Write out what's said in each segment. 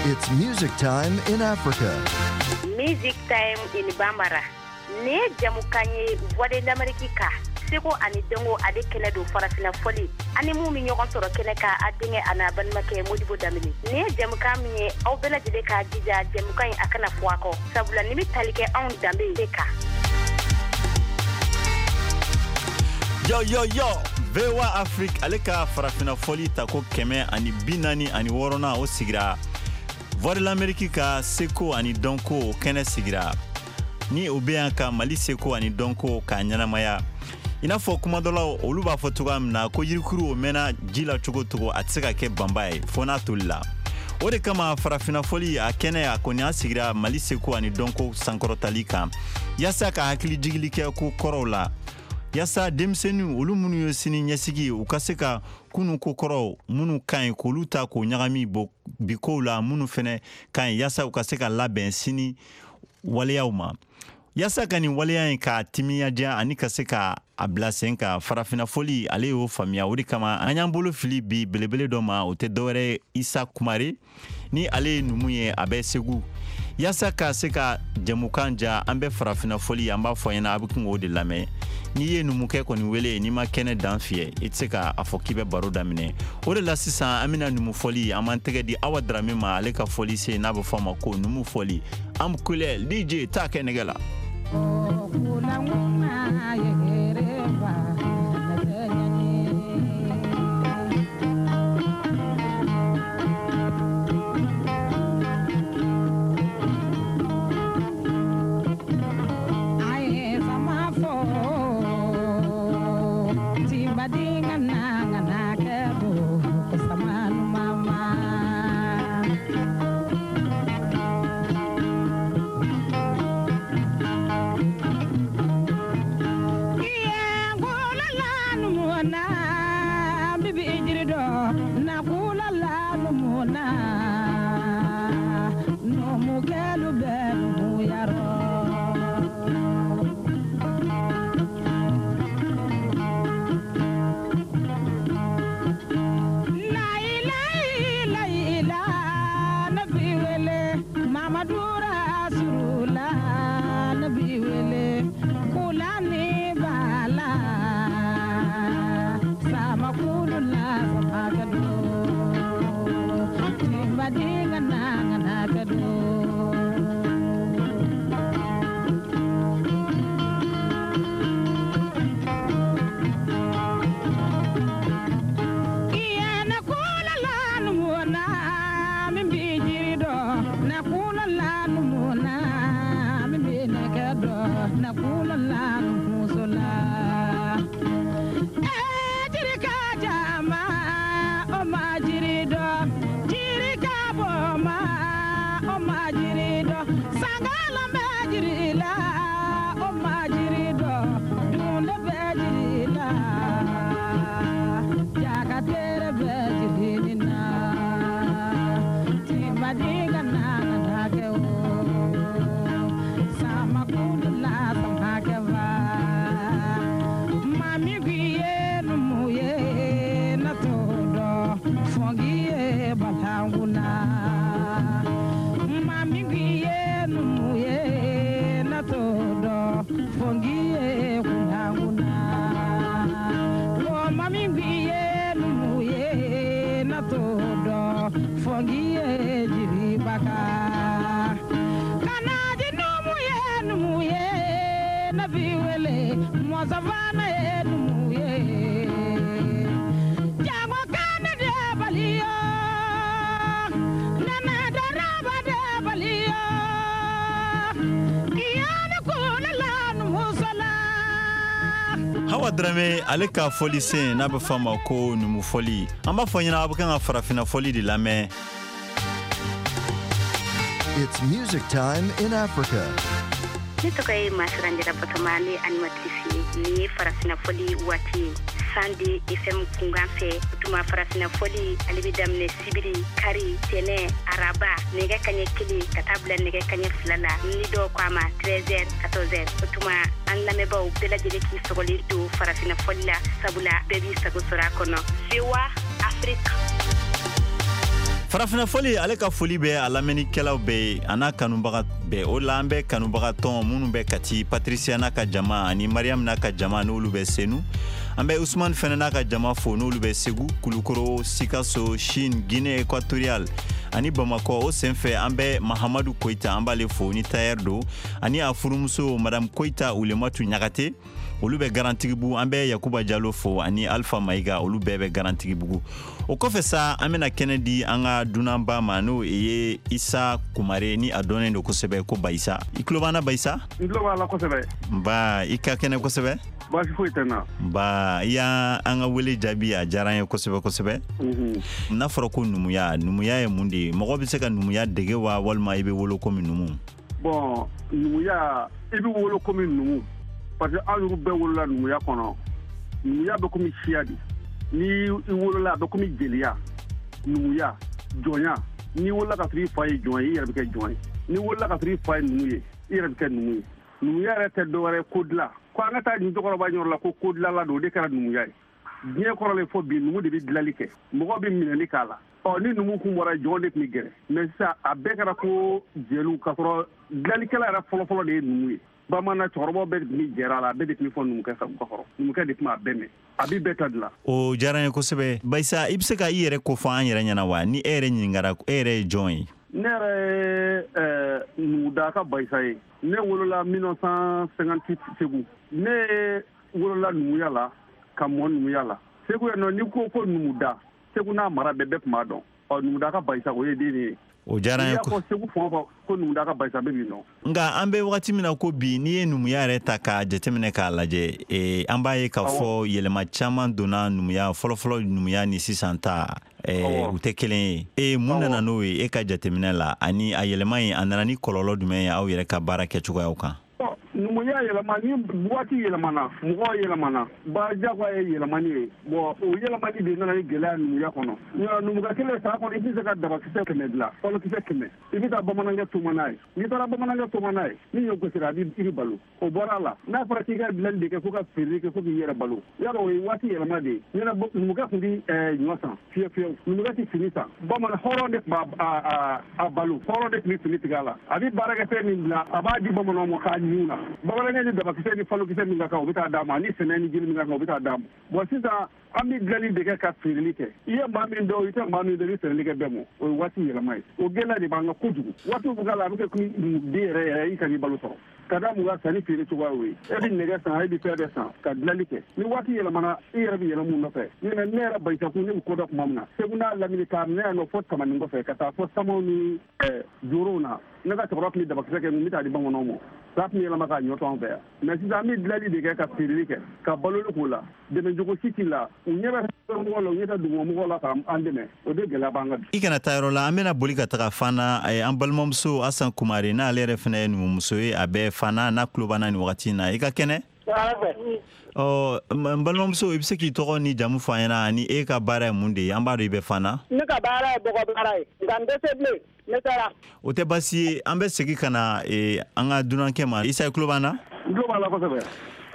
It's music time in Africa. Music time in Bambara. Nin ye jamukan ye Voix de l'Amérique ka seko ani dɔnko ale kɛnɛ don farafina fɔli ani mun bɛ ɲɔgɔn sɔrɔ kɛnɛ kan a denkɛ a n'a balimakɛ Modibo Danbele. Nin ye jamukan min ye aw bɛɛ lajɛlen k'a jija jamukan in a kana fɔ a kɔ sabula nin bɛ tali kɛ anw danbe de kan. Yo yo yo VOA Afrique ale ka farafina fɔli tako 146nan o sigira Voix de l'Amérique ka seko ani dɔnko kɛnɛ sigira ni o bɛ yan ka Mali seko ani dɔnko k'a ɲɛnamaya i n'a fɔ kumadɔlaw olu b'a fɔ cogoya min na ko yirikuru o mɛnna ji la cogo cogo a tɛ se ka kɛ banba ye fo n'a tolila. O de kama farafina fɔli a kɛnɛ a kɔni a sigira Mali seko ani dɔnko sankɔrɔtali kan yaasa ka hakili jigili kɛ ko kɔrɔw la yaasa denmisɛnninw olu minnu ye sini ɲɛsigi ye u ka se ka kunu ko kɔrɔw minnu ka ɲi k'olu ta k'o ɲagami bi kow la minnu fɛnɛ ka ɲi yaasa u ka se ka labɛn sini waleyaw ma. Yaasa ka nin waleya in k'a timiya ani ka se ka a bila sen kan farafina fɔli ale y'o faamuya. O de kama an y'an bolo fili bi belebele dɔ ma, o tɛ dɔwɛrɛ Isa Kumare ni ale ye numu ye a bɛ Segu. Yaasa ka se ka jɛmukan ja an bɛ farafina fɔli an b'a fɔ ɲɛna a bɛ kun k'o de lamɛn. N'i ye numukɛ kɔni wele n'i ma kɛnɛ dan fiyɛ i tɛ se k'a fɔ k'i bɛ baro daminɛ. O de la sisan an bɛna numu fɔli an b'an tɛgɛ di Awa Darame ma ale ka fɔli sen n'a bɛ fɔ a ma ko numu fɔli. An kulɛ DJ t'a kɛ nɛgɛ la. Hawa Darame ale ka fɔli sen n'a bɛ fɔ a ma ko numu fɔli. An b'a fɔ ɲɛna a bɛ kan ka farafina fɔli de lamɛn. It's music time in Africa. Ne tɔgɔ ye Masiranjara Batoma, ne animatrice ye. Nin ye farafina fɔli waati ye Sandi FM kunkan fɛ. O tuma farafina fɔli ale bɛ daminɛ sibiri, kari, tɛnɛ, araba nɛgɛ kaɲɛ 1 ka taa bila nɛgɛ kaɲɛ 2 la ni dɔw ko a ma 13h 14h. O tuma an lamɛnbaaw bɛɛ lajɛlen k'i sɔgɔlen to farafina fɔli la sabula bɛɛ b'i sago sɔrɔ a kɔnɔ. VOA Afrique. Farafinna fɔli ale ka foli bɛ a lamɛnnikɛlaw bɛɛ ye a n'a kanubaga bɛɛ. O la an bɛ kanubaga tɔn minnu bɛ Kati, Patricia n'a ka jama ani Mariam n'a ka jama n'olu bɛ Senu. An bɛ Usman fɛnɛ n'a ka jama fo n'olu bɛ Segu, Kulukoro, Sikaso, Chine, Guinée équatoriale ani Bamakɔ. O senfɛ an bɛ Mahamadu Koyita, an b'ale fo ni tailleur don, ani a furumuso Madame Koyita Ulematu Ɲagate, olu bɛ Garantigibugu. An bɛ Yakuba Jalo fo ani Alpha Mayiga, olu bɛɛ bɛ Garantigibugu. O kɔfɛ sa, an bɛna kɛnɛ di an ka dunanba ma, n'o ye Isa Kumare, ni a dɔnnen don kosɛbɛ ko Bayisa. I tulo b'an na, Bayisa? N tulo b'a la kosɛbɛ. Nba, i ka kɛnɛ kosɛbɛ. Baasi foyi tɛ n na. Nba, i y'an ka wele jaabi, a diyara an ye kosɛbɛ kosɛbɛ. N'a fɔra ko numuya, numuya ye mun de ye? Mɔgɔ bɛ se ka numuya dege wa, walima i bɛ wolo komi numu? Bon, numuya, i bɛ wolo komi numu, parce que an yɛrɛ bɛɛ wolola numuya kɔnɔ. Numuya bɛ komi siya de. Ni i wolola, a bɛ komi jeliya, numuya, jɔnya. N'i wolola ka sɔrɔ i fa ye jɔn ye, i yɛrɛ bɛ kɛ jɔn ye. N'i wolola ka sɔrɔ i fa ye numu ye, i yɛrɛ bɛ kɛ numu ye. Numuya yɛrɛ tɛ dɔwɛrɛ ye ko dilan. Ko an ka taa nin cɛkɔrɔba yɔrɔ la ko ko dilanla don, o de kɛra numuya ye. Diɲɛ kɔrɔlen fo bi, numu de bɛ dilali kɛ, mɔgɔ bɛ minɛli k'a la. Ɔ, ni numu kun bɔra, jɔn de tun bɛ gɛrɛ. Mais sisan a bɛɛ kɛra ko jeliw, k'a sɔrɔ dilalikɛla yɛrɛ fɔlɔfɔlɔ de ye numu ye. Bamanan cɛkɔrɔbaw bɛɛ de tun bɛ jɛra a la, a bɛɛ de tun bɛ fɔ numukɛ sa ka kɔrɔ. Numukɛ de tun b'a bɛɛ mɛn, a bɛ bɛɛ ta dilan. O diyara n ye kosɛbɛ. Bayisa, i bɛ se ka i yɛrɛ ko fɔ an yɛrɛ ɲɛna wa? Ni e yɛrɛ ɲininkara, e yɛrɛ ye jɔn ye? Ne yɛrɛ ye Numudaka Bayisa ye. Ne wolola 1958 Segu. Ne wolola numuya la, ka mɔ numuya la Segu yan nɔ. N'i ko ko numuda, Segu n'a mara bɛɛ, bɛɛ tun b'a dɔn. Ɔ, Numudaka Bayisa, o ye den ye. O diyara n ye. N'i y'a fɔ Segu fan o fan ko Numudaka Bayisa, bɛɛ b'i dɔn. Nka an bɛ wagati min na ko bi, n'i ye numuya yɛrɛ ta k'a jateminɛ k'a lajɛ, an b'a ye k'a fɔ yɛlɛma caman donna numuya. Fɔlɔfɔlɔ numuya ni sisan ta, u tɛ kelen ye. Mun nana n'o ye e ka jateminɛ la, ani a yɛlɛma in, a nana ni kɔlɔlɔ jumɛn ye aw yɛrɛ ka baara kɛcogoyaw kan? Numuya yɛlɛma ni waati yɛlɛmana, mɔgɔw yɛlɛmana, ba jagoya ye yɛlɛmani ye. Bon, o yɛlɛmani de nana ni gɛlɛya numuya kɔnɔ. Numukɛ kelen san kɔnɔ, i tɛ se ka dabakisɛ 100 dilan, falokisɛ 100. I bɛ taa bamanankɛ toma n'a ye. N'i taara bamanankɛ toma n'a ye, ni ɲɔ gosira, a b'i i bɛ balo. O bɔra a la, n'a fɔra k'i ka dilanli de kɛ fo ka feere kɛ fo k'i yɛrɛ balo, y'a dɔn o ye waati yɛlɛma de ye. Ɲɛna numukɛ tun tɛ ɲɔ san fiyewu fiyewu, numukɛ tɛ fini san. Bamanan hɔrɔn de tun b'a a balo, hɔrɔn de tun bɛ fini tigɛ a la. A bɛ baarakɛfɛn min dilan, a b'a di bamananw ma k'a ɲun na. Bamanankɛ ni dabakisɛ ni falokisɛ min ka kan, o bɛ taa d'a ma, ani sɛnɛ ni jiri min ka kan, o bɛ taa d'a ma. Bon, sisan an bɛ dilanli de kɛ ka feereli kɛ. I ye maa min dɔn, i tɛ maa min dɔn, i bɛ feereli kɛ bɛɛ ma. O ye waati yɛlɛma ye. O gɛlɛya de b'an kan kojugu. Waatiw bɛ k'a la, a bɛ kɛ komi den yɛrɛ yɛrɛ, i kan'i balo sɔrɔ. Ka da mun kan? Sanni feere cogoya y'o ye. E bɛ nɛgɛ san, e bɛ fɛn bɛɛ san ka dilanli kɛ. Ni waati yɛlɛmana, i yɛrɛ bɛ yɛlɛ mun nɔfɛ. Ne yɛrɛ Bayisakun, ne bɛ ko dɔn tuma min na, Segu n'a lamini, k'a minɛ yan nɔ fo Tamani kɔfɛ, ka taa fɔ Samaw ni Jorow na, ne ka cɛkɔrɔba tun bɛ dabakisɛ kɛ, n bɛ taa di bamananw ma. Sa tun bɛ yɛlɛma k'a ɲɔ to an fɛ yan. Mais sisan an bɛ dilanli de kɛ ka feereli kɛ, ka baloli k'o la. Dɛmɛcogo si t'i la. U ɲɛ bɛ mɔgɔw la, u ɲɛ tɛ dugumamɔgɔw la k'an dɛmɛ. O de gɛlɛya b'an kan bi. I kana taa yɔrɔ la, an bɛna boli ka taga Fana. An balimamuso Asan Kumare, n'ale yɛrɛ fana ye numumuso ye, a bɛ Fana, n'a tulo b'an na nin wagati in na. I ka kɛnɛ? Ɔ, n balimamuso, i bɛ se k'i tɔgɔ ni jamu fɔ an ɲɛna, ani e ka baara ye mun de ye? An b'a dɔn i bɛ Fana. Ne ka baara ye bɔgɔ baara ye, nka n tɛ se bilen. Ne taara. O tɛ baasi ye. An bɛ segin ka na an ka dunankɛ ma. Isa, i tulo b'an na? N tulo b'a la kosɛbɛ.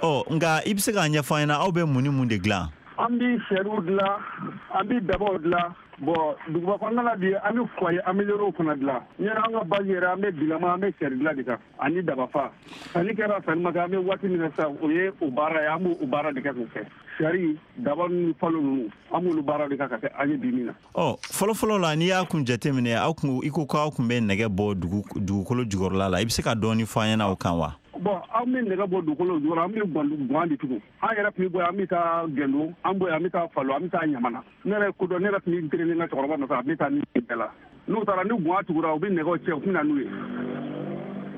Ɔ, nka i bɛ se k'a ɲɛfɔ an ɲɛna, aw bɛ mun ni mun de dilan? An bɛ sɛriw dilan, an bɛ dabaw dilan. Bon, duguba kɔnɔna la bi, an bɛ foyer amélioré fana dilan. Ɲɛna an ka base yɛrɛ, an bɛ bilama, an bɛ sɛri dilan de kan ani dabafa. Sanni kɛra, sanni ma kɛ, an bɛ waati min na sisan, o ye o baara ye, an b'o baara de kɛ k'o kɛ. Sari, daba ni falo ninnu, an b'olu baara de kɛ ka kɛ an ye bi min na. Ɔ, fɔlɔfɔlɔ la, n'i y'a kun jateminɛ, aw kun, i ko k'aw kun bɛ nɛgɛ bɔ dugukolo jukɔrɔla la, i bɛ se ka dɔɔni fɔ an ɲɛna o kan wa? Bon, an bɛ nɛgɛ bɔ dugukolo jukɔrɔ, an bɛ guwan de tugu. An yɛrɛ tun bɛ bɔ yan, an bɛ taa Gɛndo, an bɔ yan, an bɛ taa Falo, an bɛ taa Ɲamana. Ne yɛrɛ ko dɔn, ne yɛrɛ tun bɛ n teri ni n ka cɛkɔrɔba nɔfɛ, a bɛ taa ni bɛɛ la. N'u taara ni guwan tugura, u bɛ nɛgɛw cɛ, u bɛ na n'u ye.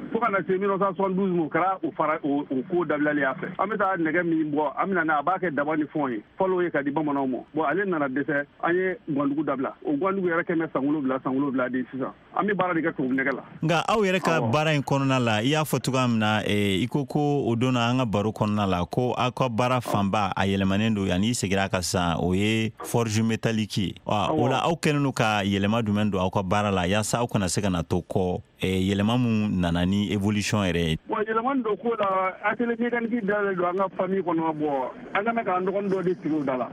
Fo ka na se 1972 ma, o kɛra o fara o ko dabilalen y'a fɛ. An bɛ taa nɛgɛ min bɔ, an bɛ na n'a, a b'a kɛ daba ni fɛnw ye, falo ye ka di bamananw ma. Bon, ale nana dɛsɛ, an ye guwandugu dabila. O guwandugu yɛrɛ kɛmɛ san 7, san 7 de sisan. An bɛ baara de kɛ tubabu nɛgɛ la. Nka aw yɛrɛ ka baara in kɔnɔna la, i y'a fɔ cogoya min na, i ko ko o don na an ka baro kɔnɔna la, ko aw ka baara fanba a yɛlɛmanen don, yanni i seginna a kan sisan, o ye forge métallique ye. O la aw kɛlen don ka yɛlɛma jumɛn don aw ka baara la, yaasa aw kana se ka na to kɔ, yɛlɛma mun nana ni évolution yɛrɛ ye? Bon, yɛlɛmani don ko la, atelier mécanique dayɛlɛ don an ka famille kɔnɔ. Bon, an ka mɛn k'an dɔgɔnin dɔ de sigi o da la,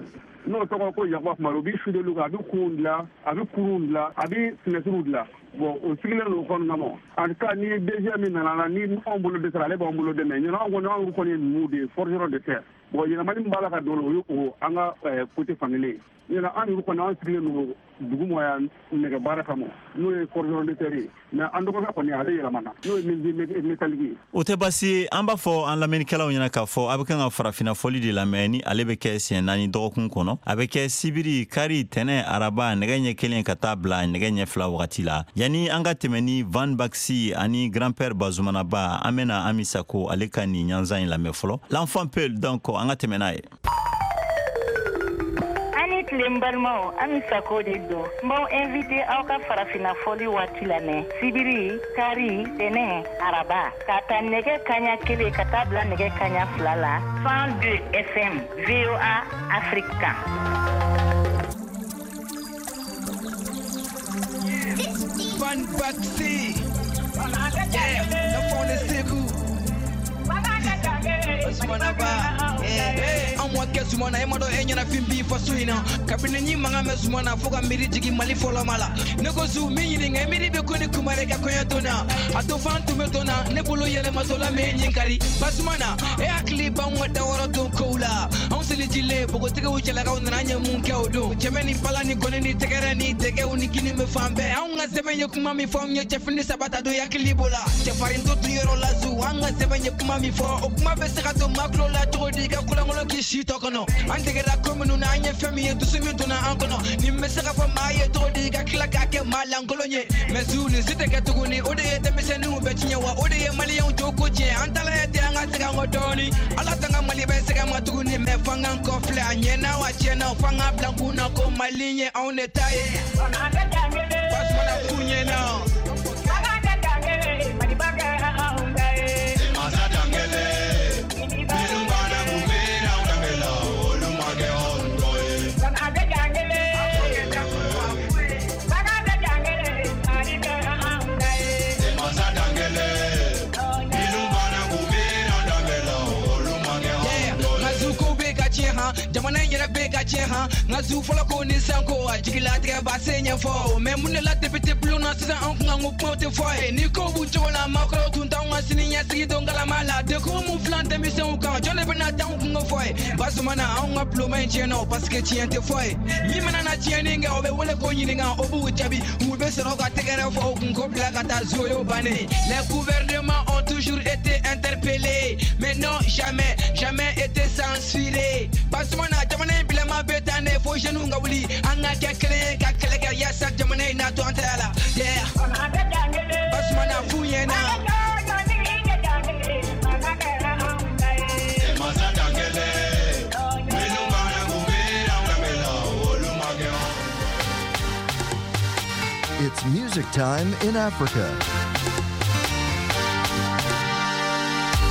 n'o tɔgɔ ko Yakuba Kumari. O bɛ soudeliw kɛ, a bɛ kunw dilan, a bɛ kurunw dilan, a bɛ finɛtiriw dilan. Bon, o sigilen don o kɔnɔna ma. En tout cas, ni DG min nana la, ni anw bolo dɛsɛra, ale b'an bolo dɛmɛ. Ɲinan, anw kɔni, anw kɔni ye numuw de ye, forgeron de tɛ. Bon, yɛlɛmani min b'a la ka don, o ye o an ka côté fankelen ye. Ɲinan, an yɛrɛ kɔni, an sigilen don dugu ma yan nɛgɛ baara kama, n'o ye forgeron de terre ye. Mais an dɔgɔkɛ kɔni, ale yɛlɛmana, n'o ye menuisier métallique ye. O tɛ baasi ye. An b'a fɔ an lamɛnnikɛlaw ɲɛna k'a fɔ a bɛ kan ka farafinna fɔli de lamɛn, ni ale bɛ kɛ siɲɛ 4 dɔgɔkun kɔnɔ. A bɛ kɛ sibiri, kari, tɛnɛ, araba, nɛgɛ ɲɛ 1 ka taa bila nɛgɛ ɲɛ 2 wagati la. Yanni an ka tɛmɛ ni Van Baxi ani grand-père Bazumanaba, an bɛna Ami Sako ale ka nin ɲanzan in lamɛn fɔlɔ, l'enfant Peul. Donc an ka tɛmɛ n'a ye. Tile, n balimaw, Ami Sako de don. N b'aw invité aw ka farafinna fɔli waati lamɛn sibiri, kari, tɛnɛ, araba, k'a ta nɛgɛ kaɲa 1 ka taa bila nɛgɛ kaɲa 2 la, 102 FM, VOA Afrique kan. Van Baxi, yeah, the phone is Sekou. Zumanaba, an mɔ kɛ Zumana, e ma dɔn e ɲɛna fin b'i faso in na. Kabini ni mankan mɛn Zumana, fo ka miiri jigin Mali fɔlɔ ma la. Ne ko zu min ɲininka, miiri bɛ ko ni Kumare ka kɔɲɔ donna, a to fan tun bɛ donna ne bolo yɛlɛmatɔla mɛ ɲinkari. Basumana, e hakili b'anw ka dawɔrɔ don kow la. Anw selijilen npogotigiw, cɛlakaw nana, an ye mun kɛ o don? Cɛmɛ ni bala ni gɔni ni tɛgɛrɛ ni dɛgɛw ni kini bɛ fan bɛɛ. Anw ka sɛbɛn ye kuma min fɔ anw ye, cɛfini saba ta don hakili b'o la. Cɛfarin to tun yɔrɔ la zu, an ka sɛbɛn ye kuma min fɔ, o kuma bɛ se ka to maa tulo la cogo di ka kulankolon k'i si tɔ kɔnɔ? An degera ko minnu na, an ye fɛn min ye, dusu min donna an kɔnɔ, nin bɛ se ka fɔ maa ye cogo di ka tila k'a kɛ maa lankolon ye? Mɛ zu, nin si tɛ kɛ tuguni. O de ye denmisɛnninw bɛ tiɲɛ wa, o de ye maliyɛnw jo ko tiɲɛ. An taala ye ten, an ka segin an kɔ dɔɔni. Ala t'an ka Mali bɛ sɛgɛn ma tuguni, mɛ f'an k'an kɔ filɛ a ɲɛna wa tiɲɛna, f'an k'a bila kun na ko Mali ye anw de ta ye. Basumana f'u ɲɛna. Jamana in yɛrɛ bɛ ka tiɲɛ han. Nka zu fɔlɔ ko ni san ko a jigilatigɛ ba se ɲɛfɔ. Mɛ mun de la député bulon na sisan, anw kun kan ko kumaw tɛ fɔ ye ni kow b'u cogo la? Maakɔrɔw tun t'anw ka sini ɲɛsigi don kalama la. Dekun mun filan denmisɛnw kan, jɔn de bɛna t'anw kungo fɔ ye? Basumana, anw ka bulonba in tiɲɛna o, parce que tiɲɛ tɛ fɔ ye. Min mana na tiɲɛni kɛ, o bɛ wele ko ɲininka, o b'u jaabi, u bɛ sɔrɔ ka tɛgɛrɛ fɔ o kun ko bila ka taa zo y'o bannen. Les gouvernements ont toujours été interpellés, mais non, jamais, jamais été censurés. Basumana, jamana in bilama bɛ taa ne fo jeunes ka wuli, an ka kɛ kelen ye ka kɛlɛ kɛ yaasa jamana in na to an tɛgɛ la. Yeah, Basumana f'u ɲɛna. It's music time in Africa.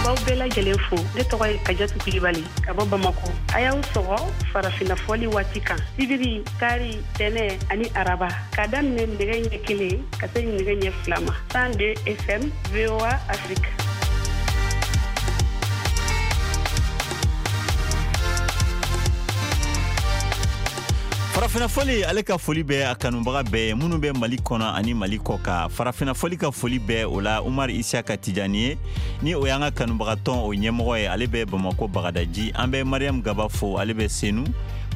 B'aw bɛɛ lajɛlen fo. Ne tɔgɔ ye Kajatu Kulibali ka bɔ Bamako. A y'aw sɔgɔ farafinna fɔli waati kan sibiri, kari, tɛnɛ ani araba, k'a daminɛ nɛgɛ ɲɛ 1 ka se nɛgɛ ɲɛ 2 ma, 102 FM, VOA Afrique. Farafinna fɔli ale ka foli bɛ a kanubaga bɛɛ ye minnu bɛ Mali kɔnɔ ani Mali kɔ kan. Farafinna fɔli ka foli bɛ o la Umar Isiyaka Tijani ye, ni o y'an ka kanubagatɔn o ɲɛmɔgɔ ye, ale bɛ Bamako Bagadaji. An bɛ Mariam Gaba fo, ale bɛ Senu.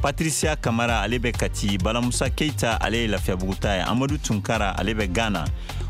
Patricia Kamara, ale bɛ Kati. Balamusa Keita, ale ye Lafiyabugu ta ye. Amadu Tunkara, ale bɛ Ghana.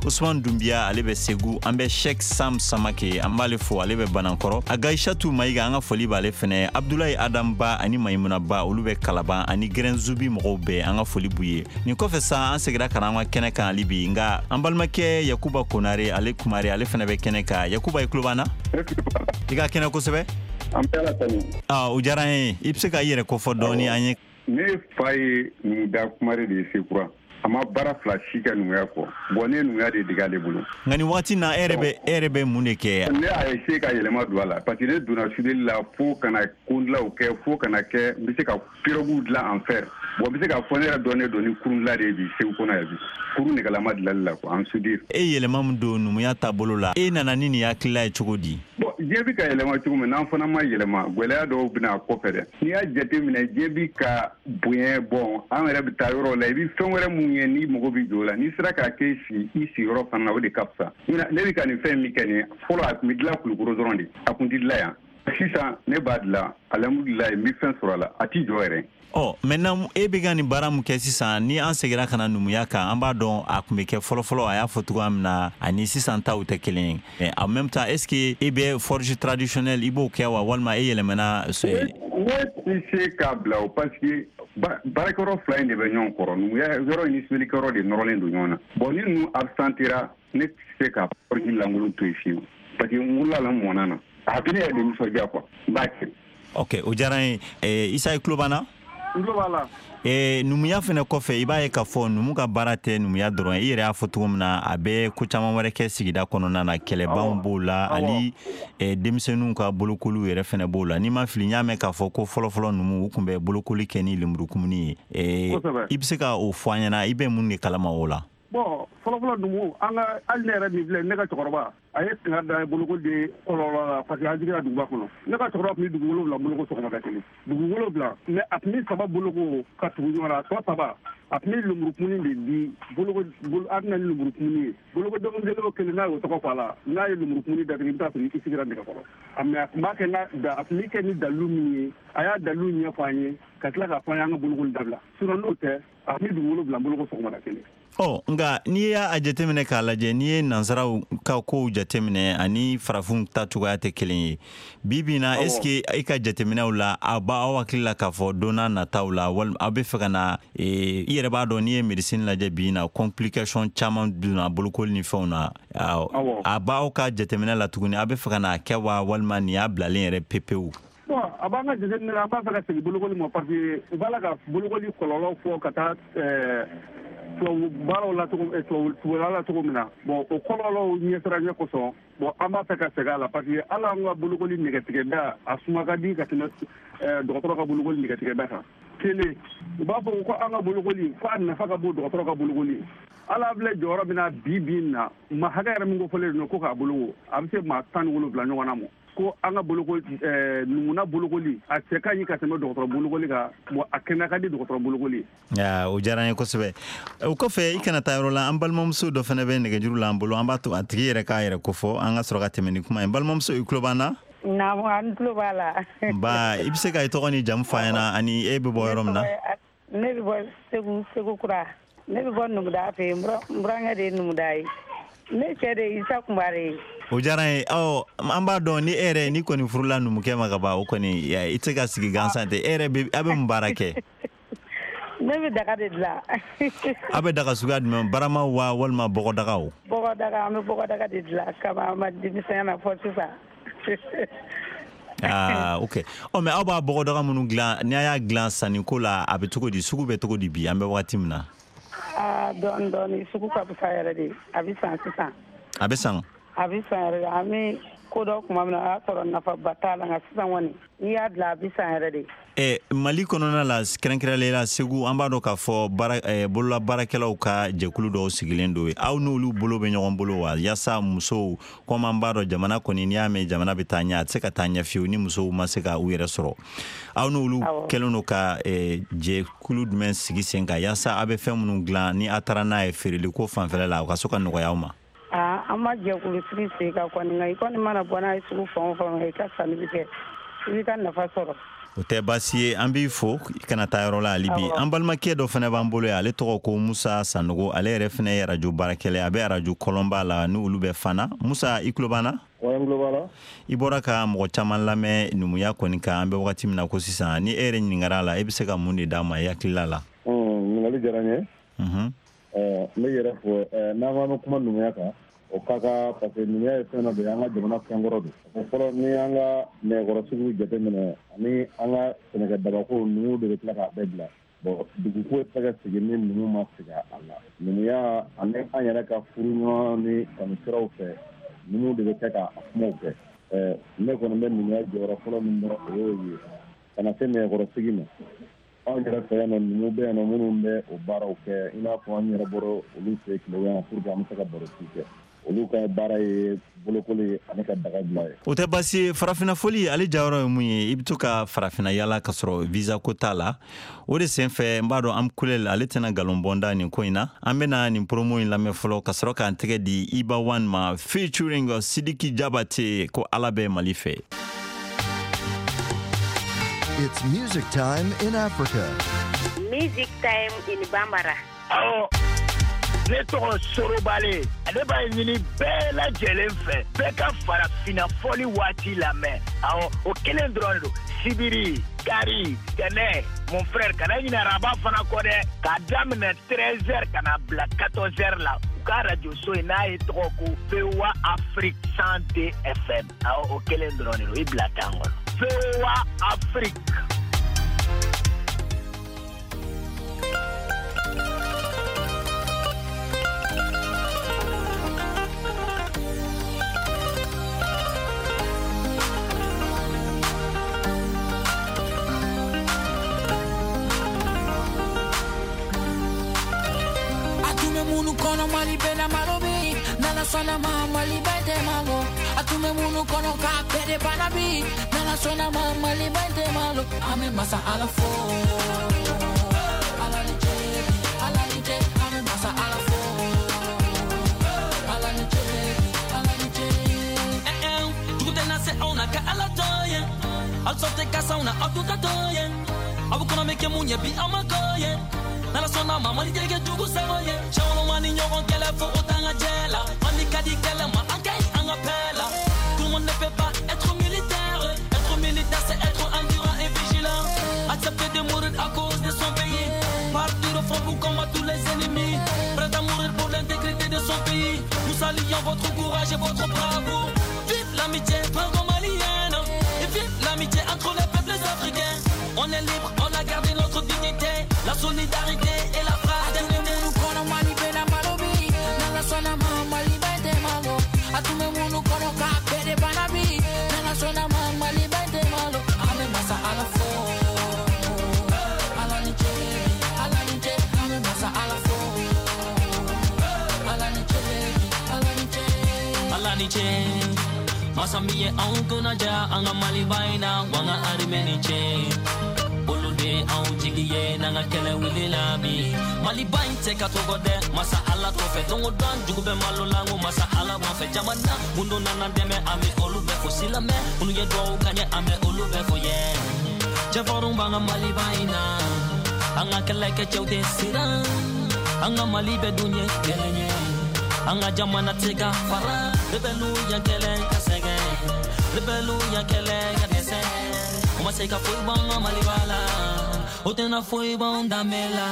Usman Dumbiya, ale bɛ Segu. An bɛ Sheikh Sam Samake, an b'ale fo, ale bɛ Banankɔrɔ. Agaishatu Mayiga, an ka foli b'ale fɛnɛ. Abdulayi Adam Ba ani Maimuna Ba, olu bɛ Kalaban, ani Gɛrɛnzubi mɔgɔw bɛɛ, an ka foli b'u ye. Nin kɔfɛ sa, an segira ka na an ka kɛnɛ kan hali bi, nka an balimakɛ Yakuba Konare, ale Kumare, ale fɛnɛ bɛ kɛnɛ kan. Yakuba, i tulo b'an na? I ka kɛnɛ kosɛbɛ. An bɛ Ala tanu. Ah, o diyara an ye. I bɛ se ka i yɛrɛ kofɔ dɔɔni an ye? Ne fa ye numuda Kumare de ye Sekura. A ma baara fila si kɛ numuya kɔ. Bon, ne ye numuya de dege ale bolo. Nka nin waati na, e yɛrɛ bɛ mun de kɛ? Ne a essayer ka yɛlɛma don a la, parce que ne donna soudeli la fo ka na kondilaw kɛ, fo ka na kɛ n bɛ se ka piroguw dilan en fer. Bon, n bɛ se k'a fɔ ne yɛrɛ dɔnnen don ni kurun dilan de ye bi Segu kɔnɔ yan bi. Kurun nɛgɛlama dilanli la quoi, en soudure. E yɛlɛma min don numuya taabolo la, e nana ni nin hakilila ye cogo di? Bon, diɲɛ bɛ ka yɛlɛma cogo min, n'an fana ma yɛlɛma, gɛlɛya dɔw bɛna a kɔfɛ dɛ. N'i y'a jateminɛ, diɲɛ bɛ ka bonya. Bon, an yɛrɛ bɛ taa yɔrɔ la, i bɛ fɛn wɛrɛ mun ye n'i mago bɛ jɔ o la, n'i sera k'a kɛ i sigiyɔrɔ fana na, o de ka fisa. Ne bɛ ka nin fɛn min kɛ nin ye, fɔlɔ a tun bɛ dilan Kulukoro dɔrɔn de, a tun tɛ dilan yan. Sisan ne b'a dilan, alhamdulilayi, n bɛ fɛn sɔrɔ a la, a t'i jɔ yɛrɛ. Ɔ, maintenant e bɛ ka nin baara mun kɛ sisan, ni an seginna ka na numuya kan, an b'a dɔn a tun bɛ kɛ fɔlɔfɔlɔ, a y'a fɔ cogoya min na, ani sisan taw tɛ kelen ye. En même temps, est ce que e bɛ forge traditionnelle, i b'o kɛ wa, walima e yɛlɛmana? Ne tɛ se k'a bila o, parce que baarakɛyɔrɔ fila in de bɛ ɲɔgɔn kɔrɔ, numuya yɔrɔ in ni soudure de nɔrɔlen don ɲɔgɔn na. Bon, ni ninnu absentera, ne tɛ se ka forge lankolon to yen fiyewu, parce que n wolola la, n mɔnna na, a bɛ ne yɛrɛ de nisɔndiya quoi, n b'a kɛ. Ok, o diyara n ye. Isa, i tulo b'an na? N tulo b'a la. Numuya fɛnɛ kɔfɛ, i b'a ye k'a fɔ numu ka baara tɛ numuya dɔrɔn ye. I yɛrɛ y'a fɔ cogo min na, a bɛ ko caman wɛrɛ kɛ sigida kɔnɔna na, kɛlɛbanw b'o la, ani denmisɛnninw ka bolokoliw yɛrɛ fɛnɛ b'o la. N'i ma fili, n y'a mɛn k'a fɔ ko fɔlɔfɔlɔ numu, u tun bɛ bolokoli kɛ ni lemurukumuni ye. I bɛ se ka o fɔ an ɲɛna, i bɛ mun de kalama o la? Bon, fɔlɔfɔlɔ numu, an ka, hali ne yɛrɛ min filɛ, ne ka cɛkɔrɔba, a ye kanga da bolokoli de kɔlɔlɔ la, parce que an jiginna duguba kɔnɔ. Ne ka cɛkɔrɔba tun bɛ dugu 7 boloko sɔgɔmada kelen, dugu 7, mais a tun bɛ 3 boloko ka tugu ɲɔgɔn na, a tɔ 3, a tun bɛ lemurukumuni de di boloko. A bɛ na ni lemurukumuni ye, boloko den kelen o kelen, n'a y'o tɔgɔ fɔ a la, n'a ye lemurukumuni datigi, i bɛ taa sɔrɔ i sigira nɛgɛkɔrɔ. Mais a tun b'a kɛ n'a, a tun bɛ kɛ ni dalilu min ye, a y'a dalilu ɲɛfɔ an ye, ka tila k'a fɔ an ye an ka bolokoli dabila. Sinon n'o tɛ, a tun bɛ dugu 7 boloko sɔgɔmada kelen. Ɔ, nka n'i y'a jateminɛ k'a lajɛ, n'i ye nansaraw ka kow jateminɛ ani farafinw ta cogoya tɛ kelen ye bi bi na, est ce que e ka jateminɛw la, a b'aw hakili la k'a fɔ don n'a nataw la, walima aw bɛ fɛ ka na, i yɛrɛ b'a dɔn, n'i ye médecine lajɛ bi na, complication caman donna bolokoli ni fɛnw na, a b'aw ka jateminɛ la tuguni, aw bɛ fɛ ka n'a kɛ wa, walima nin y'a bilalen yɛrɛ pepewu? Bon, a b'an ka jateminɛ la, an b'a fɛ ka segin bolokoli ma, parce que u b'a la ka bolokoli kɔlɔlɔ fɔ ka taa tubabu baaraw la cogo, tubabuya la cogo min na. Bon, o kɔlɔlɔw ɲɛsiranɲɛ kosɔn, bon, an b'a fɛ ka segin a la, parce que hali an ka bolokoli nɛgɛtigɛda, a suma ka di ka tɛmɛ dɔgɔtɔrɔ ka bolokoli nɛgɛtigɛda kan. Kelen, u b'a fɔ ko an ka bolokoli, ko a nafa ka bon dɔgɔtɔrɔ ka bolokoli. Ala filɛ jɔyɔrɔ min na bi bi in na, ma hakɛ yɛrɛ min ko fɔlen don ko k'a boloko, a bɛ se maa 17 ɲɔgɔn na ma, ko an ka bolokoli, numuna bolokoli, a cɛ ka ɲi ka tɛmɛ dɔgɔtɔrɔ bolokoli kan. Bon, a kɛnɛya ka di dɔgɔtɔrɔ bolokoli. O diyara an ye kosɛbɛ. O kɔfɛ, i kana taa yɔrɔ la, an balimamuso dɔ fana bɛ nɛgɛjuru la an bolo. An b'a to a tigi yɛrɛ k'a yɛrɛ kofɔ, an ka sɔrɔ ka tɛmɛ ni kuma ye. Balimamuso, i tulo b'an na? Naamu, an tulo b'a la. Ba, i bɛ se ka i tɔgɔ ni jamu fɔ an ɲɛna, ani e bɛ bɔ yɔrɔ min na? Ne bɛ bɔ Segu, Segu kura. Ne bɛ bɔ Numuda fɛ yen, n burankɛ de ye Numuda ye. Ne cɛ de ye Isa Kunbare ye. O diyara n ye. Ɔ, an b'a dɔn ni e yɛrɛ, ni kɔni furula numukɛ ma ka ban, o kɔni i tɛ se ka sigi gansan tɛ. E yɛrɛ bɛ, a bɛ mun baara kɛ? Ne bɛ daga de dilan. A bɛ daga suguya jumɛn, barama wa walima bɔgɔdagaw? Bɔgɔdaga, an bɛ bɔgɔdaga de dilan kaban an ma denmisɛnya na fɔ sisan. Ah, ok. Ɔ, mais aw b'a bɔgɔdaga minnu dilan, ni a y'a dilan sanniko la, a bɛ cogo di, sugu bɛ cogo di bi, an bɛ wagati min na? Aa, dɔɔni dɔɔni, sugu ka fisa yɛrɛ de, a bɛ san sisan. A bɛ san? A bɛ san yɛrɛ de. An bɛ ko dɔ tuma min na, o y'a sɔrɔ nafaba t'a la, nka sisan kɔni, n'i y'a dilan, a bɛ san yɛrɛ de. Mali kɔnɔna la, kɛrɛnkɛrɛnnenya la Segu, an b'a dɔn k'a fɔ bolola baarakɛlaw ka jɛkulu dɔw sigilen don yen. Aw n'olu bolo bɛ ɲɔgɔn bolo wa, yaasa musow, komi an b'a dɔn jamana kɔni, n'i y'a mɛn jamana bɛ taa ɲɛ, a tɛ se ka taa ɲɛ fiyewu ni musow ma se ka u yɛrɛ sɔrɔ. Aw n'olu kɛlen don ka jɛkulu jumɛn sigi sen kan, yaasa aw bɛ fɛn minnu dilan, ni a taara n'a ye feereli ko fanfɛla la, o ka se ka nɔgɔya aw ma? Aa, an ma jɛkulu sigi sen kan kɔni, nka i kɔni mana bɔ n'a ye sugu fan o fan, i ka sanni bɛ kɛ, i b'i ka nafa sɔrɔ. O tɛ baasi ye, an b'i fo, i kana taa yɔrɔ la hali bi. An balimakɛ dɔ fana b'an bolo yan, ale tɔgɔ ko Musa Sanogo, ale yɛrɛ fana ye arajo baarakɛla ye, a bɛ arajo Kɔlɔnba la, ni olu bɛ Fana. Musa, i tulo b'an na? N tulo b'a la. I bɔra ka mɔgɔ caman lamɛn numuya kɔni kan, an bɛ wagati min na ko sisan, ni e yɛrɛ ɲininkara a la, e bɛ se ka mun de d'a ma i hakilila la? Ɲininkali diyara n ye. N bɛ yɛrɛ fo, n'an ko an bɛ kuma numuya kan, o ka kan, parce que numuya ye fɛn dɔ de ye, an ka jamana fɛnkɔrɔ don. O fɔlɔ, ni an ka nɛgɛkɔrɔsigiw jateminɛ ani an ka sɛnɛkɛdabako, numuw de bɛ tila k'a bɛɛ bila. Bon, duguko tɛ se ka sigi ni numu ma sigi a la. Numuya ani an yɛrɛ ka furuɲɔgɔn ni kanusiraw fɛ, numuw de bɛ kɛ k'a kumaw kɛ. Ne kɔni bɛ numuya jɔyɔrɔ fɔlɔ min dɔn, o y'o ye. Ka na se nɛgɛkɔrɔsigi ma, Anw yɛrɛ fɛ yan nɔ, numu bɛ yan nɔ minnu bɛ o baaraw kɛ, i n'a fɔ an yɛrɛ bɔra olu fɛ Tilegan pour que an bɛ se ka barosigi kɛ. Olu ka baara ye bolokoli ani ka daga dilan ye. O tɛ baasi ye. Farafinna foli ale jayɔrɔ ye mun ye? I bɛ to ka farafinna yala ka sɔrɔ visa ko t'a la. O de senfɛ n b'a dɔn Amkulel ale tɛna nkalon bɔ n da nin ko in na. An bɛna nin promo in lamɛn fɔlɔ ka sɔrɔ k'an tɛgɛ di Iba One ma featuring Sidiki Jabate ko Ala bɛ Mali fɛ. It's music time in Africa. Music time in Bambara. Awɔ, ne tɔgɔ Sorobale. Ale b'a ɲini bɛɛ lajɛlen fɛ, bɛɛ ka farafinna fɔli waati lamɛn. Awɔ, o kelen dɔrɔn de don. Sibiri, kari, tɛnɛ, mon frère, kana ɲinɛ araba fana kɔ dɛ. K'a daminɛ 13 heures ka na bila 14 heures la. U ka radio so in n'a ye tɔgɔ ko VOA Afrique 102 FM. Awɔ, o kelen dɔrɔn de don. I bila tan kɔnɔ. VOA Afrique. Munu kono Mali bena malobi, nana sona ma Mali bente malo. Atume munu kono ka bere banabi, nana sona ma Mali bente malo. Ame masa ala fo, ala ni je, ala ni je. Ame masa ala fo, ala ni je, ala ni je. Eh eh, tukute na se ona ka ala toye, al sote kasa una atuta toye. Abu kono meke munye bi amakoye. Nala sona ma mali jege jugu sagoye. Chawlo mani nyogon kele fo otanga jela. Mani kadi kele ma ankai anga pela. Tout le monde ne peut pas être militaire. Être militaire c'est être endurant et vigilant. Accepter de mourir à cause de son pays. Partir au front pour combattre tous les ennemis. Prêt à mourir pour l'intégrité de son pays. Nous saluons votre courage et votre bravoure. Vive l'amitié franco-malienne. Et vive l'amitié entre les peuples africains. On est libre, on a gardé notre dignité, la solidarité et la fraternité. Atume munu kono Mali bena malobi, nana sona ma Mali bente malo. Atume munu kono ka bere banabi, nana sona ma Mali bente malo. Ame masa ala fo, ala ni je, ala ni je. Ame masa ala fo, ala ni je, ala ni je. Ala ni je. Masa miye anw kunna ja an ka Maliba in na wa an ka armée ni ce. Olu de anw jigi ye n'an ka kɛlɛ wulila bi. Maliba in tɛ ka tɔgɔ dɛ, masa Ala t'o fɛ. Don o don jugu bɛ malo la, n ko masa Ala b'an fɛ. Jamana minnu nana dɛmɛ, an bɛ olu bɛɛ fo. Silamɛ minnu ye duwawu k'an ye, an bɛ olu bɛɛ fo yɛ. Cɛfarinw b'an ka Maliba in na, an ka kɛlɛkɛcɛw tɛ siran. An ka Mali bɛɛ dun ye kelen ye. An ka jamana tɛ ka fara. Rebelle ya kɛlɛ ka sɛgɛn, rebelle ya kɛlɛ ka dɛsɛ. O ma se ka foyi bɔ an ka Maliba la, o tɛna foyi bɔ an danbe la.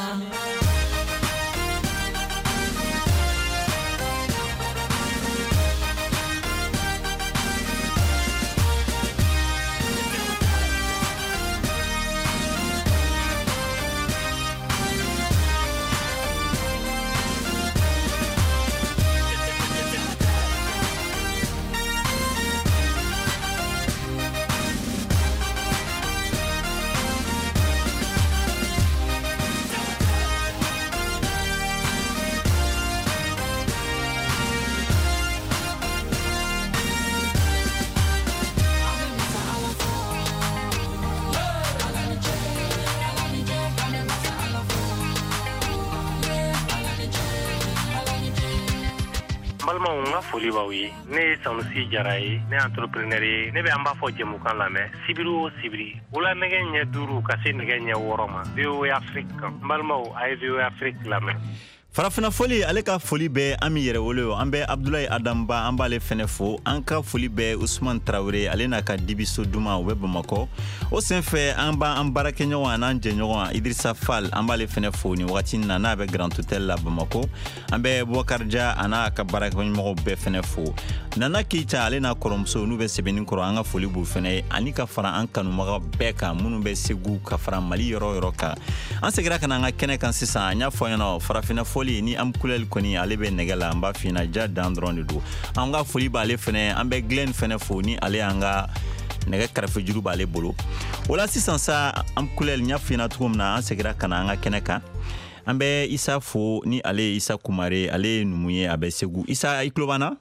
Balimaw, n ka foli b'aw ye. Ne ye Sanusi Jara ye, ne ye entrepreneur ye. Ne bɛ an b'a fɔ jɛmukan lamɛn sibiri o sibiri wula nɛgɛ ɲɛ 5 ka se nɛgɛ ɲɛ 6 ma VOA Afrique kan. N balimaw, a ye VOA Afrique lamɛn. Farafinna foli ale ka foli bɛ Ami Yɛrɛwolo, an bɛ Abdulayi Adamba, an b'ale fɛnɛ fo. An ka foli bɛ Usman Tarawele, ale n'a ka dibiso duman, o bɛ Bamakɔ. O senfɛ an b'an baarakɛɲɔgɔn an'an jɛɲɔgɔn Idrissa Fall, an b'ale fɛnɛ fo nin wagati in na, n'a bɛ Grand Hôtel la Bamakɔ. An bɛ Boubacar Dia a n'a ka baarakɛɲɔgɔnw bɛɛ fɛnɛ fo. Nana Keita ale n'a kɔrɔmuso n'u bɛ sɛbɛnni kɔrɔ, an ka foli b'u fɛnɛ ye, ani ka fara an kanubaga bɛɛ kan minnu bɛ Segu ka fara Mali yɔrɔ yɔrɔ kan. An seginna ka na an ka kɛnɛ kan sisan. An y'a fɔ ɲɛna farafinna foli ni Amkulel kɔni ale bɛ nɛgɛ la, an b'a f'i ɲɛna ja dan dɔrɔn de don. An ka foli b'ale fɛnɛ, an bɛ Glenn fɛnɛ fo ni ale y'an ka Nɛgɛ karafejuru b'ale bolo. O la sisan sa, an kulɛli n y'a f'i ɲɛna cogo min na, an segira ka na an ka kɛnɛ kan. An bɛ Isa fo, ni ale ye Isa Kumare, ale ye numu ye, a bɛ Segu. Isa, i tulo b'an na?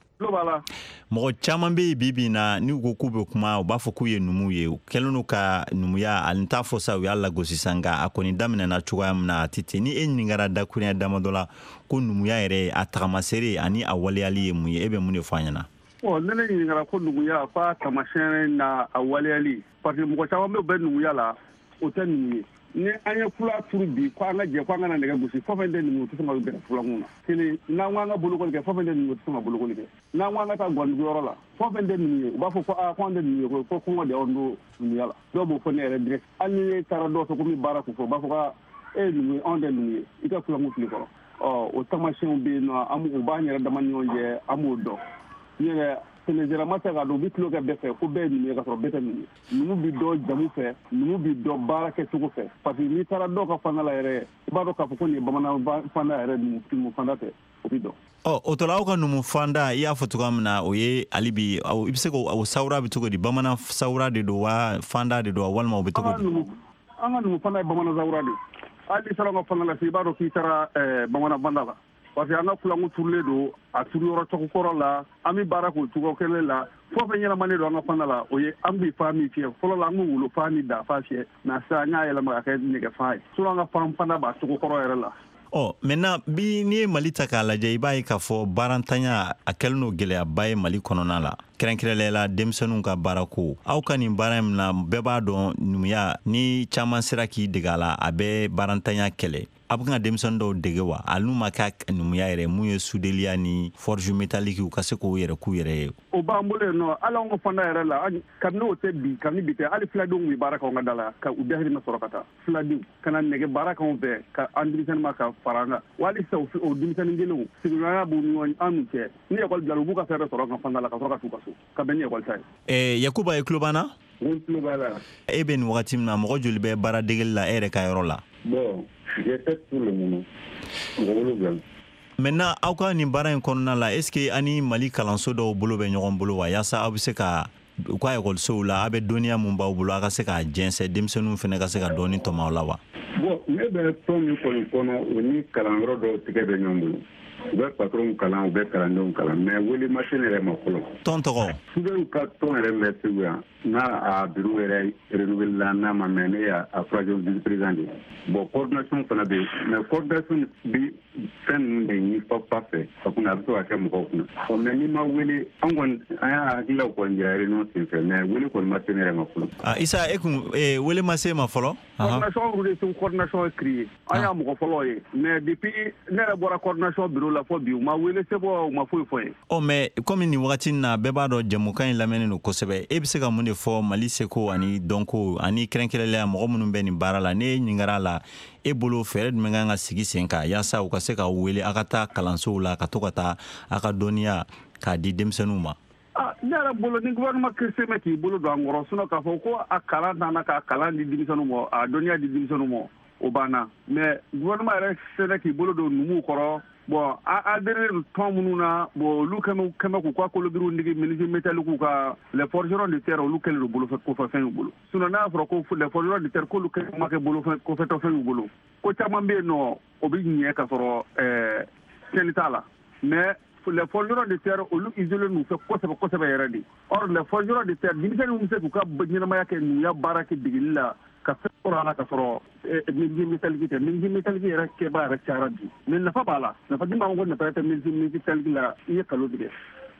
Mɔgɔ caman bɛ yen bi bi in na, n'u ko k'u bɛ kuma, u b'a fɔ k'u ye numu ye. U kɛlen don ka numuya, ani t'a fɔ sa u y'a lagosi sa, nka a kɔni daminɛna cogoya min na, a tɛ ten. Ni e ɲininkara dakuruɲɛ damadɔ la ko numuya yɛrɛ, a tagamasere ani a waleyali ye mun ye, e bɛ mun de fɔ an ɲɛna? Bon, ne ɲininkara ko numuya f'a taamasiyɛn n'a a waleyali, parce que mɔgɔ caman bɛ u bɛ numuya la, o tɛ numu ye. Ni an ye fula turu bi ko an ka jɛ ko an kana nɛgɛ gosi, fɛn fɛn tɛ numu, o tɛ sɔn ka gɛrɛ fulankun na. Kelen, n'an ko an ka bolokoli kɛ, fɛn fɛn tɛ numu, o tɛ sɔn ka bolokoli kɛ. N'an ko an ka taa gɔniduguyɔrɔ la, fɛn fɛn tɛ numu ye, u b'a fɔ ko aa, ko an tɛ numu ye, ko kɔngɔ de y'anw don numuya la. Dɔw b'o fɔ ne yɛrɛ direct. Hali ni ne taara dɔw fɛ ko n bɛ baara k'u fɛ, u b'a fɔ ko e ye numu ye, anw tɛ numu ye, i ka fulankun fili kɔrɔ. Ɔ, o taamasiyɛnw bɛ yen nɔ, an b'u b'an yɛrɛ dama ni ɲɔgɔn cɛ, an b'o dɔn. N yɛrɛ sɛnɛjɛra ma se k'a dɔn, u bɛ tulon kɛ bɛɛ fɛ ko bɛɛ ye numu ye, ka sɔrɔ bɛɛ tɛ numu ye. Numu bɛ dɔn jamu fɛ, numu bɛ dɔn baara kɛcogo fɛ, parce que n'i taara dɔw ka fanda la yɛrɛ, i b'a dɔn k'a fɔ ko nin ye bamanan fanda yɛrɛ, numu fanda tɛ, o bɛ dɔn. Ɔ, o tɔ la, aw ka numu fanda, i y'a fɔ cogoya min na, o ye hali bi, i bɛ se k'o sawura bɛ cogo di? Bamanan sawura de don wa, fanda de don wa, walima o bɛ cogo di? An ka numu fanda ye bamanan sawura de ye. Hali n'i taara an ka fanda la, i b'a dɔn k'i taara bamanan fanda la, parce que an ka fulankun turulen don a turuyɔrɔ cogo kɔrɔ la, an bɛ baara k'o cogo kelen la. Fɛn fɛn ɲɛnamanen don an ka fanda la, o ye an bɛ fa min fiyɛ. Fɔlɔ la, an bɛ wolo fa ni da fa fiyɛ, nka sisan an y'a yɛlɛma ka kɛ nɛgɛ fa ye. Sinon an ka fan fanda b'a cogo kɔrɔ yɛrɛ la. Ɔ, maintenant bi, n'i ye Mali ta k'a lajɛ, i b'a ye k'a fɔ baarantanya a kɛlen don gɛlɛyaba ye Mali kɔnɔna la, kɛrɛnkɛrɛnnenya la denmisɛnninw ka baarako. Aw ka nin baara in na, bɛɛ b'a dɔn numuya, ni caman sera k'i dege a la, a bɛ baarantanya kɛlɛ. A bɛ ka denmisɛnnin dɔw dege wa, hali n'u ma kɛ numuya yɛrɛ, mun ye sudeliya ni forge métallique, u ka se k'o yɛrɛ k'u yɛrɛ ye? O b'an bolo yen nɔ. Hali anw ka fanda yɛrɛ la, kabini o tɛ bi, kabini bi tɛ, hali filadenw bɛ baara kɛ anw ka da la, ka u dahirimɛ sɔrɔ ka taa. Filadenw ka na nɛgɛ baara k'anw fɛ, ka an denmisɛnnin ma ka fara an kan. Wa hali sisan, o denmisɛnnin kelenw, sigiɲɔgɔnya b'u ni ɲɔgɔn an n'u cɛ. Ni ekɔli bila, u b'u ka fɛn bɛɛ sɔrɔ an ka fanda la, ka sɔrɔ ka t'u ka so, ka bɛn ni ekɔli ta ye. Yakuba, i tulo b'an na? N tulo b'a la. E bɛ nin wagati min na, mɔgɔ joli bɛ baara degeli la e yɛrɛ ka yɔrɔ la? Bon, j'ai fait pour le moment mɔgɔ 7. Maintenant, aw ka nin baara in kɔnɔna la, est ce que ani Mali kalanso dɔw bolo bɛ ɲɔgɔn bolo wa, yaasa aw bɛ se ka u ka ekɔlisow la, aw bɛ dɔnniya mun b'aw bolo, aw ka se k'a jɛnsɛn, denmisɛnninw fana ka se ka dɔɔni tɔmɔ aw la wa? Bon, ne bɛ tɔn min kɔni kɔnɔ, o ni kalanyɔrɔ dɔw tigɛ bɛ ɲɔgɔn bolo. U bɛ patronw kalan, u bɛ kalandenw kalan, mais wele ma se ne yɛrɛ ma fɔlɔ. Tɔn tɔgɔ? Soudeur ka tɔn yɛrɛ bɛ Segu yan, n'a a bureau yɛrɛ renouvelé la, n'a ma mɛn, ne y'a troisième vice président de ye. Bon, coordination fana bɛ yen, mais coordination bɛ fɛn ninnu de ɲini fa fɛ a kunna, a bɛ se ka kɛ mɔgɔw kunna. Ɔ, mais n'i ma wele, an kɔni an y'a hakililaw kɔni jira réunion senfɛ, mais wele kɔni ma se ne yɛrɛ ma fɔlɔ. Ah, Isa, e kun wele ma se ma fɔlɔ? Coordination de Segu coordination ye créé, an y'a mɔgɔ fɔlɔ ye, mais depuis ne yɛrɛ bɔra coordination bureau la fɔ bi, u ma wele sɛbɛn, u ma foyi fɔ n ye. Ɔ, mais komi nin wagati in na, bɛɛ b'a dɔn jɛmukan in lamɛnnen don kosɛbɛ, e bɛ se ka mun de fɔ Mali seko ani dɔnko ani kɛrɛnkɛrɛnnenya mɔgɔ minnu bɛ nin baara la? Ne ɲininkara la, e bolo fɛɛrɛ jumɛn kan ka sigi sen kan yaasa u ka se ka wele aw ka taa kalansow la, ka to ka taa aw ka dɔnniya k'a di denmisɛnninw ma? Ne yɛrɛ bolo, ni gouvernement se bɛ k'i bolo don an kɔrɔ, sinon k'a fɔ ko a kalan t'an na, k'a kalan di denmisɛnninw ma, a dɔnniya di denmisɛnninw ma, o banna. Mais gouvernement yɛrɛ sera k'i bolo don numuw kɔrɔ. Bon, a adhéré tɔn minnu na, bon, olu kɛmɛ k'u ka kolobiriw nigi menuisier métallique ka, les forgerons de terre, olu kɛlen don bolofɛ kofɛfɛn y'u bolo. Sinon n'a y'a sɔrɔ ko les forgerons de terre k'olu kɛ ma kɛ bolofɛn kofɛtɔfɛn y'u bolo, ko caman bɛ yen nɔ, o bɛ ɲɛ ka sɔrɔ tiɲɛni t'a la. Mais les forgerons de terre, olu isolé n'u fɛ kosɛbɛ kosɛbɛ yɛrɛ de. Or les forgerons de terre, denmisɛnninw bɛ se k'u ka ɲɛnamaya kɛ numuya baara kɛ degeli la, ka fɛn sɔrɔ a la, ka sɔrɔ menuisier métallique tɛ. Menuisier métallique yɛrɛ kɛba yɛrɛ cayara bi, mais nafa b'a la. Nafa di b'a ko nafa tɛ menuisier métallique la, i ye kalo tigɛ.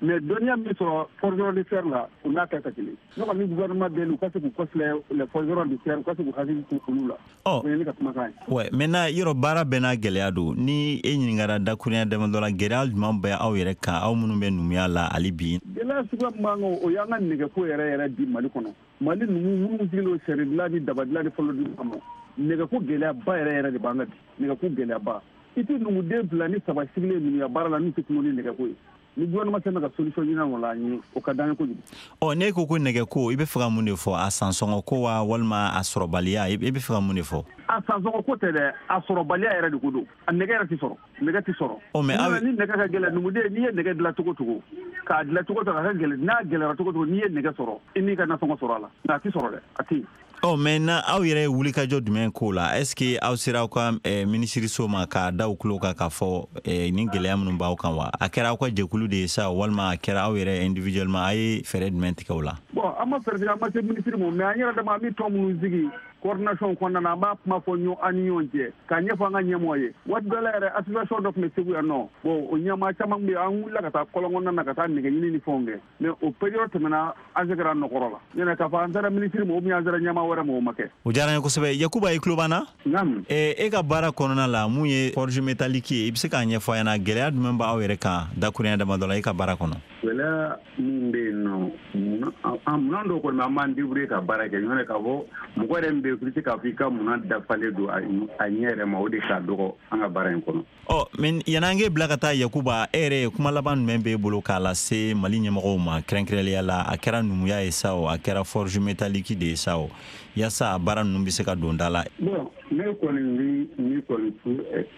Mais dɔnniya min sɔrɔ forgeron de fer la, o n'a kɛ ka kelen. Ne kɔni gouvernement deli, u ka se k'u kɔfilɛ les forgerons de terre, u ka se k'u hakili to olu la. Ɔ, o ye ne ka kumakan ye. Ouais, maintenant yɔrɔ baara bɛɛ n'a gɛlɛya don. Ni e ɲininkara dakurunya damadɔ la, gɛlɛya jumɛn bɛ aw yɛrɛ kan, aw minnu bɛ numuya la hali bi? Gɛlɛya suguya min b'an kan, o y'an ka nɛgɛko yɛrɛ yɛrɛ bi Mali kɔnɔ. Mali numu minnu sigilen don sari dilan ni daba dilan ni fɔlɔ dilan kama, nɛgɛko gɛlɛyaba yɛrɛ yɛrɛ de b'an kan bi. Nɛgɛko gɛlɛyaba, i tɛ numuden 2 ni 3 sigilen numuya baara la n'u tɛ kuma ni nɛgɛko ye. Ni gouvernement sera ka solution ɲini o la an ye, o ka d'an ye kojugu. Ɔ, n'e ko ko nɛgɛko, i bɛ fɛ ka mun de fɔ? A sansɔngɔ ko wa, walima a sɔrɔbaliya? I bɛ fɛ ka mun de fɔ? A sansɔngɔ ko tɛ dɛ, a sɔrɔbaliya yɛrɛ de ko don. A nɛgɛ yɛrɛ tɛ sɔrɔ, nɛgɛ tɛ sɔrɔ. Ɔ, mais aw ni nɛgɛ ka gɛlɛn, numuden n'i ye nɛgɛ dilan cogo cogo, K'a dilan cogo cogo a ka gɛlɛn, n'a gɛlɛyara cogo cogo, n'i ye nɛgɛ sɔrɔ, i n'i ka nasɔngɔ sɔrɔ a la, nka a ti sɔrɔ dɛ, a ti. Ɔ, mais na aw yɛrɛ ye wulikajɔ jumɛn k'o la? Est ce que aw sera aw ka minisiriso ma k'a da u tulo kan k'a fɔ nin gɛlɛya minnu b'aw kan wa? A kɛra aw ka jɛkulu de ye sa, walima a kɛra aw yɛrɛ individuellement? A ye fɛɛrɛ jumɛn tigɛ o la? Bon, an ma fɛɛrɛ tigɛ, an ma se minisiri ma, mais an yɛrɛ dama, an bɛ tɔn minnu sigi coordination kɔnɔna na, an b'a kuma fɔ ɲɔgɔn an ni ɲɔgɔn cɛ, k'a ɲɛfɔ an ka ɲɛmɔgɔ ye. Waati dɔ la yɛrɛ, association dɔ tun bɛ Segu yan nɔ. Bon, o ɲɛmaa caman bɛ yen, an wulila ka taa kɔlɔn kɔnɔna na ka taa nɛgɛ ɲini ni fɛnw kɛ, mais o période tɛmɛna, an seginna nɔkɔrɔ la. Ɲɛnɛ k'a fɔ an sera minisiri ma ou bien an sera ɲɛmaa wɛrɛ ma, o ma kɛ. O diyara n ye kosɛbɛ. Yakuba, i tulo b'an na? Naamu. E ka baara kɔnɔna la, mun ye forge métallique ye, i bɛ se k'a ɲɛfɔ an ɲɛna, gɛlɛya jumɛn b'aw yɛrɛ kan dakuruɲɛ damadɔ la i ka baara kɔnɔ? Gɛlɛya min bɛ yen nɔ, munna dɔw kɔni an b'an débrouiller ka baara kɛ, ɲɔntɛ k'a fɔ mɔgɔ yɛrɛ min bɛ yen, i bɛ se k'a fɔ i ka munna dafalen don a ɲɛ yɛrɛ ma, o de ka dɔgɔ an ka baara in kɔnɔ. Ɔ, mais yan'an k'e bila ka taa, Yakuba, e yɛrɛ ye kuma laban jumɛn b'e bolo k'a lase Mali ɲɛmɔgɔw ma, kɛrɛnkɛrɛnnenya la, a kɛra numuya ye sa o, a kɛra forge métallique de ye sa o, yaasa a baara ninnu bɛ se ka don da la? Bon, ne kɔni bɛ min kɔni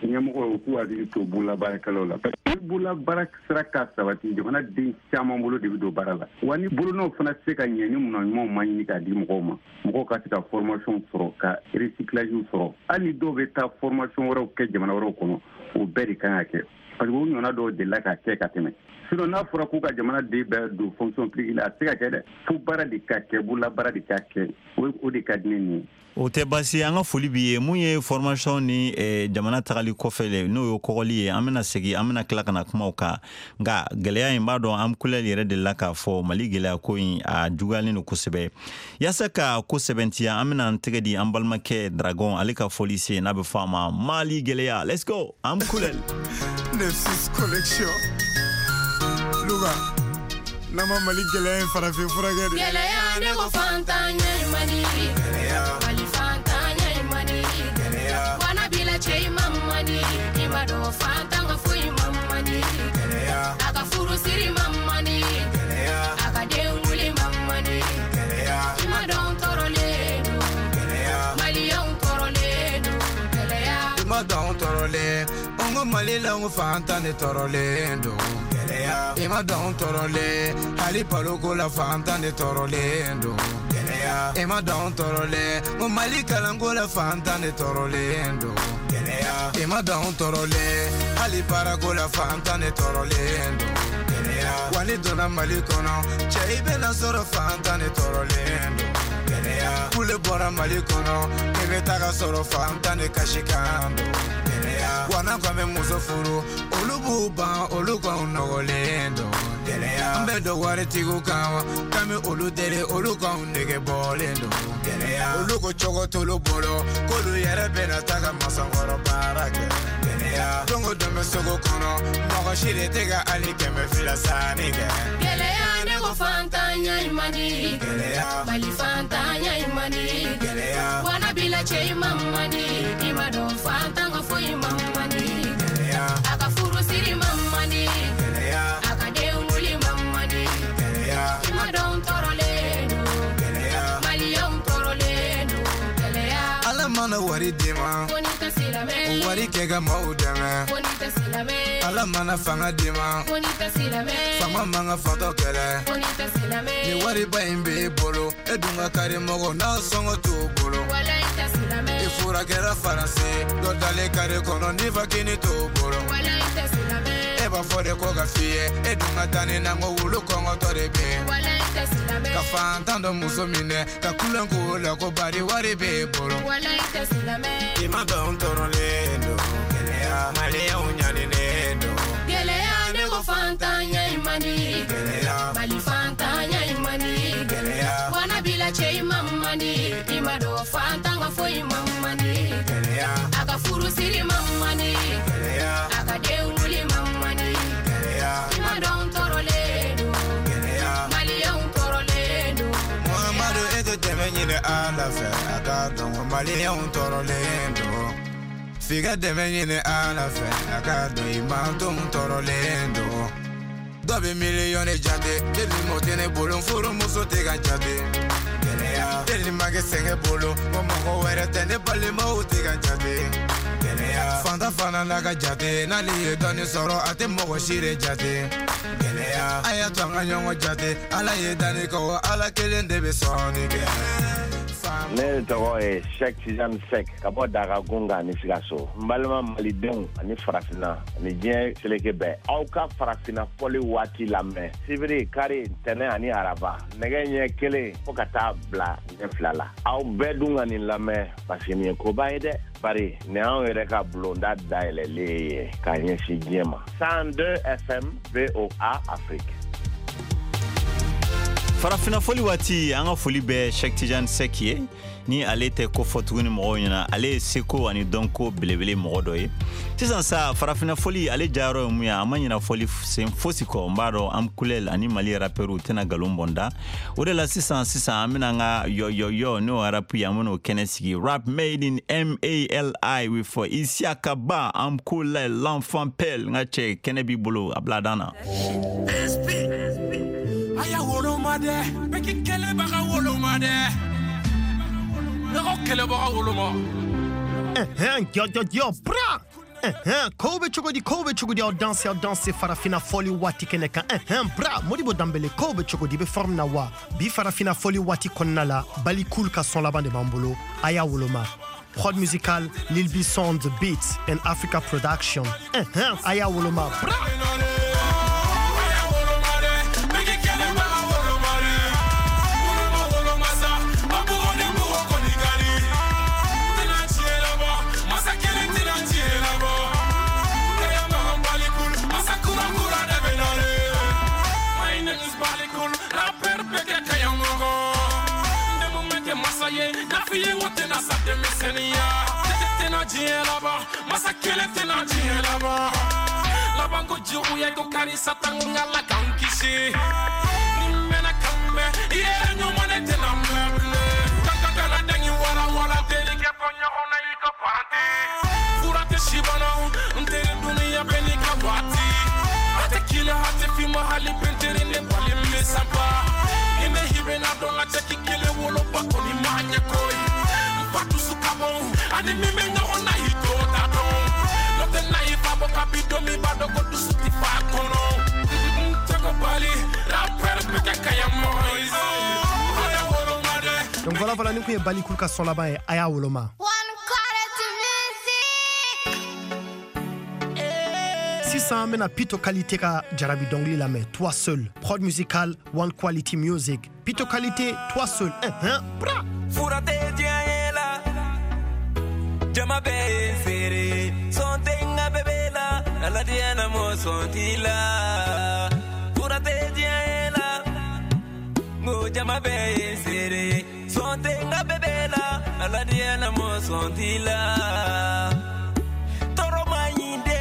ɲɛmɔgɔw k'u hakili to bololabaarakɛlaw la, parce que ni bololabaara sera ka sabati, jamana den caman bolo de bɛ don baara la. Wa ni bolonɔw fana tɛ se ka ɲɛ ni munna ɲumanw ma ɲini k'a di mɔgɔw ma, mɔgɔw ka se ka formation sɔrɔ, ka recyclage sɔrɔ, hali ni dɔw bɛ taa formation wɛrɛw kɛ jamana wɛrɛw kɔnɔ, o bɛɛ de kan ka kɛ, parce que o ɲɔgɔnna dɔw delila ka kɛ ka tɛmɛ. Sinon n'a fɔra k'u ka jamana den bɛɛ don fonction publique la, a tɛ se ka kɛ dɛ. Fo baara de ka kɛ, bololabaara de ka kɛ, o de ka di ne nin ye. O tɛ baasi ye, an ka foli b'i ye. Mun ye formation ni jamana tagali kɔfɛ le, n'o ye kɔgɔli ye, an bɛna segin, an bɛna tila ka na kuma o kan. Nka gɛlɛya in, b'a dɔn an kulɛli yɛrɛ delila k'a fɔ, Mali gɛlɛya ko in, a juguyalen don kosɛbɛ. Yaasa ka ko sɛbɛntiya, an bɛna an tɛgɛ di an balimakɛ Dragon, ale ka fɔli se, n'a bɛ fɔ a ma Mali gɛlɛya. Let's go, an kulɛli. 96 collection Louga, n'an ma Mali gɛlɛya in farafin furakɛ de. Gɛlɛya, ne ko fantanya in man di. Mali fantanya in man di. Wana bila cɛ i ma man di. I ma dɔn fantan ka foyi ma man di. A ka furu siri ma man di. A ka den wuli ma man di. I ma dɔn tɔɔrɔlen don. Maliyɛnw tɔɔrɔlen don. Gɛlɛya. I ma dɔn tɔɔrɔlen. N ko Mali la, n ko fantan de tɔɔrɔlen don. I ma dɔn tɔɔrɔlen, hali baloko la fantan de tɔɔrɔlen don. I ma dɔn tɔɔrɔlen, n ko Mali kalanko la fantan de tɔɔrɔlen don. I ma dɔn tɔɔrɔlen, hali baarako la fantan de tɔɔrɔlen don. Wa ni donna Mali kɔnɔ, cɛ, i bɛna sɔrɔ fantan de tɔɔrɔlen don. Kule bɔra Mali kɔnɔ, i bɛ taga sɔrɔ fantan de kasikan don. Wa n'an ko an bɛ muso furu, olu b'u ban, olu k'anw nɔgɔlen don. An bɛ don waritigiw kan wa, k'an bɛ olu deli, olu k'anw nege bɔlen don. Olu ko cogo t'olu bolo, k'olu yɛrɛ bɛna taga masankɔrɔ baara kɛ. Don o don bɛ sugu kɔnɔ, mɔgɔ si de tɛ ka hali 200 sanni kɛ. Gɛlɛya, ne ko fantanya in man di. Mali fantanya in man di. Wana bila cɛ i ma man di. I ma dɔn fantan ka foyi ma man di. A ka furu siri ma man di. A ka den wuli ma man di. I ma dɔn tɔɔrɔlen don. Maliyɛnw tɔɔrɔlen don. Gɛlɛya. Ala mana wari d'i ma, ko n'i tɛ silamɛ, o wari kɛ ka maaw dɛmɛ, ko n'i tɛ silamɛ, Ala mana fanga d'i ma, ko n'i tɛ silamɛ, faama man ka fatɔ kɛlɛ, ko n'i tɛ silamɛ, ni wariba in b'e bolo, e dun ka kari mɔgɔ n'a sɔngɔ t'o bolo, walayi tɛ silamɛ, i furakɛra Faransi, dɔ dalen kare kɔnɔ ni fakini t'o bolo, walayi tɛ silamɛ, e b'a fɔ de ko ka f'i ye, e dun ka taa ni na ko wulu kɔngɔtɔ de bɛ yen, walayi tɛ silamɛ, ka fantan dɔ muso minɛ ka kulon k'o la ko bari wari b'e bolo, walayi tɛ silamɛ. I ma dɔn tɔɔrɔlen don, Maliyɛnw ɲaninen don. Gɛlɛya, ne ko fantanya in man di. Mali fantanya in man di. Wana bila cɛ i ma man di. I ma dɔn fantan ka foyi ma man di. A ka furu siri ma man di. A ka den wuli ma man di. I ma dɔn tɔɔrɔlen don. Maliyɛnw tɔɔrɔlen don. Muhamadu, e tɛ dɛmɛ ɲini Ala fɛ, a k'a dɔn ko Maliyɛnw tɔɔrɔlen don. F'i ka dɛmɛ ɲini Ala fɛ, a k'a dɔn i mantonw tɔɔrɔlen don. Dɔ bɛ miliyɔn jate, deli m'o tɛ ne bolo, n furumuso tɛ ka jate. Deli ma kɛ sɛgɛn bolo, ko mɔgɔ wɛrɛ tɛ, ne balimaw tɛ ka jate. Gɛlɛya fanta fana n'a ka jate n'ale ye dɔɔni sɔrɔ a tɛ mɔgɔ si de jate. Gɛlɛya a y'a to an ka ɲɔgɔn jate ala ye danni kɛ wa ala kelen de bɛ sɔnni kɛ. Ne tɔgɔ ye Sɛk Tijani Sɛk ka bɔ Daga Gunga ni Sikaso. N balima malidenw ani farafinna ani diɲɛ seleke bɛɛ, aw ka farafinna fɔli waati lamɛn sibiri, kari, ntɛnɛn ani araba nɛgɛ ɲɛ 1 fo ka taa bila ɲɛ 2 la. Aw bɛɛ dun ka nin lamɛn parce que nin ye koba ye dɛ, bari nin y'anw yɛrɛ ka bulonda dayɛlɛlen ye k'a ɲɛsin diɲɛ ma. 102 FM VOA Afrique. Farafinna fɔli waati, an ka foli bɛ Sɛk Tijani Sɛk ye. Ni ale tɛ ko fɔ tuguni mɔgɔw ɲɛna, ale ye seko ani dɔnko belebele mɔgɔ dɔ ye. Sisan sa farafinna fɔli ale jayɔrɔ ye mun ye? A ma ɲina fɔli sen fosi kɔ. N b'a dɔn Amkulel ani Mali rappeurw tɛna nkalon bɔn da. O de la sisan sisan an bɛna an ka yɔyɔyɔ n'o rap ye, an bɛn'o kɛnɛ sigi. Rap made in MALI with Isiaka Ba, Amkulel, l'enfant pelle. N ka cɛ, kɛnɛ b'i bolo, a bila dan na. Aya woloma dɛ, bɛɛ k'i kɛlɛbaga woloma dɛ. Ne ko kɛlɛbaga woloma. Yo, yo, yo, bra! Ko bɛ cogo di, ko bɛ cogo di, aw danse, aw danse farafina fɔli waati kɛnɛ kan. Bra, Modibo Danbele, ko bɛ cogo di, i bɛ forme na wa? Bi farafina fɔli waati kɔnɔna la, Balikul ka son laban de b'an bolo, a y'a woloma. Prod musical, Lil B Sound, Beats and Africa Production. A y'a woloma, bra! Donc voilà, voilà, nous avons Balikul ka son laban ye, a y'a woloma. Sisan an bɛna Pito Qualité ka jarabi dɔnkili lamɛn, Toi Seul, prod musical One Quality Music. Pito Qualité, Toi Seul, bra! Fura tɛ diɲɛ ye la, jama bɛɛ ye feere, sɔn tɛ n ka bébé la, Ala diɲɛ na mɔ sɔn t'i la. Fura tɛ diɲɛ ye la, n ko jama bɛɛ ye feere, sɔn tɛ n ka bébé la, Ala diɲɛ na mɔ sɔn t'i la. Tɔɔrɔ ma ɲi dɛ,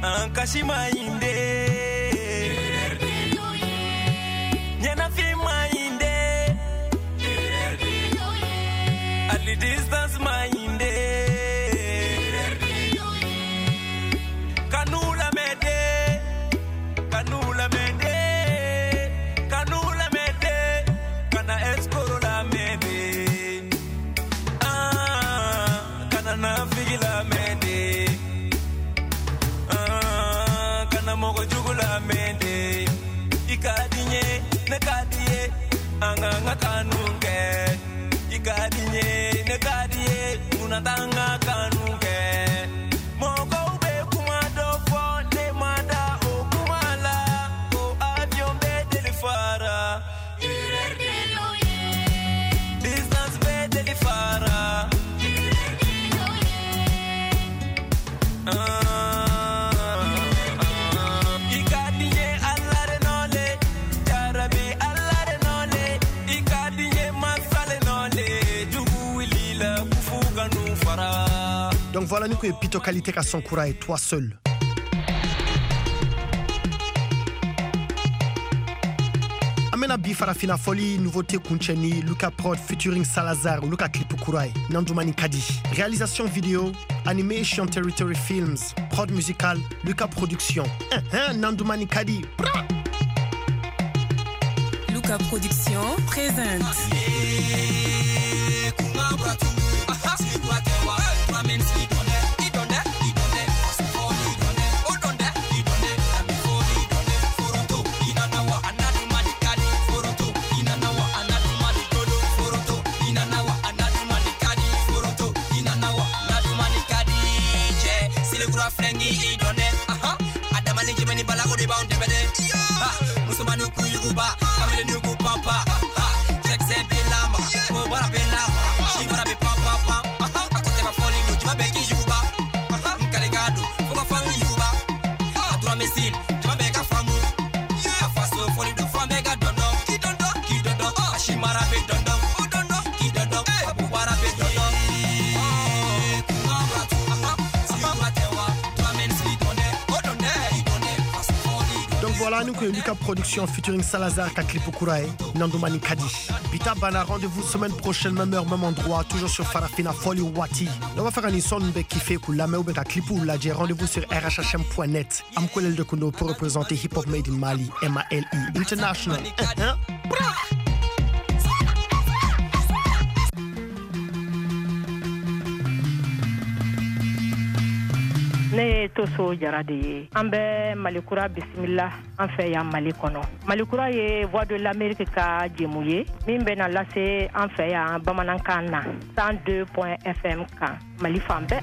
an kasi ma ɲi dɛ, ɲɛnafin ma ɲi dɛ, hali distance ma ɲi dɛ. Kanu lamɛn dɛ, kanu lamɛn dɛ, kanu lamɛn dɛ, kana escroc lamɛn dɛ. Ah, kana nafigi lamɛn dɛ. Ah, kana mɔgɔ jugu lamɛn dɛ. I ka di n ye, ne ka di ye, an k'an ka kanu kɛ. I ka di n ye, ne ka di ye, munna t'an ka kanu kɛ? Mɔgɔw bɛ kuma dɔ fɔ, ne ma da o kuma la, ko avion bɛ deli fara. Distance bɛ deli fara. I ka di n ye Ala de nɔ le, jarabi Ala de nɔ le, i ka di n ye masa le nɔ le, jugu wulila kufu ka nu fara. Donc voilà, nous avons Pito Qualité ka son kura ye, Toi Seul. An bɛna bi farafina fɔli nouveauté kuncɛ ni Luka Prod featuring Salazar, olu ka clip kura ye, Nandumani Kadi. Réalisation vidéo, Animation Territory Films, prod musicale, Luka Production. Nandumani Kadi. Bra! Luka Production présente. k'i dɔn dɛ. A dama ni jɛmɛ ni bala o de b'anw dɛmɛ dɛ. Musomaniw k'u yuguba, kamalenniw k'u panpa. Cɛkisɛ bɛ lamaga, kobara bɛ lamaga, sibara bɛ pan pan pan. A ko tɛba fɔli don, jama bɛɛ k'i yuguba. N kalekan don, fo ka fan yuguba. A tura mɛsi, jama bɛɛ ka faamu. A faso fɔli don, fan bɛɛ ka dɔndɔn. K'i dɔndɔn, k'i dɔndɔn, a simara bɛ dɔndɔn. O dɔndɔn, k'i dɔndɔn, a bubara bɛ dɔndɔn. Voilà, nous que Lucas Production featuring Salazar Kaklipo Kurae, Nandomani Kadi. Bita Bana, rendez-vous semaine prochaine, même heure, même endroit, toujours sur Farafina Foli Wati. On va faire un son qui fait la main ou clip ou la rendez-vous sur rhhm.net. Amkolel de Kondo pour représenter Hip Hop Made in Mali, M-A-L-I, International. Ne ye Toso Jara de ye. An bɛ Malikura bisimila an fɛ yan Mali kɔnɔ. Malikura ye Voix de l'Amérique ka jɛmu ye min bɛ na lase an fɛ yan bamanankan na 102 FM kan Mali fan bɛɛ.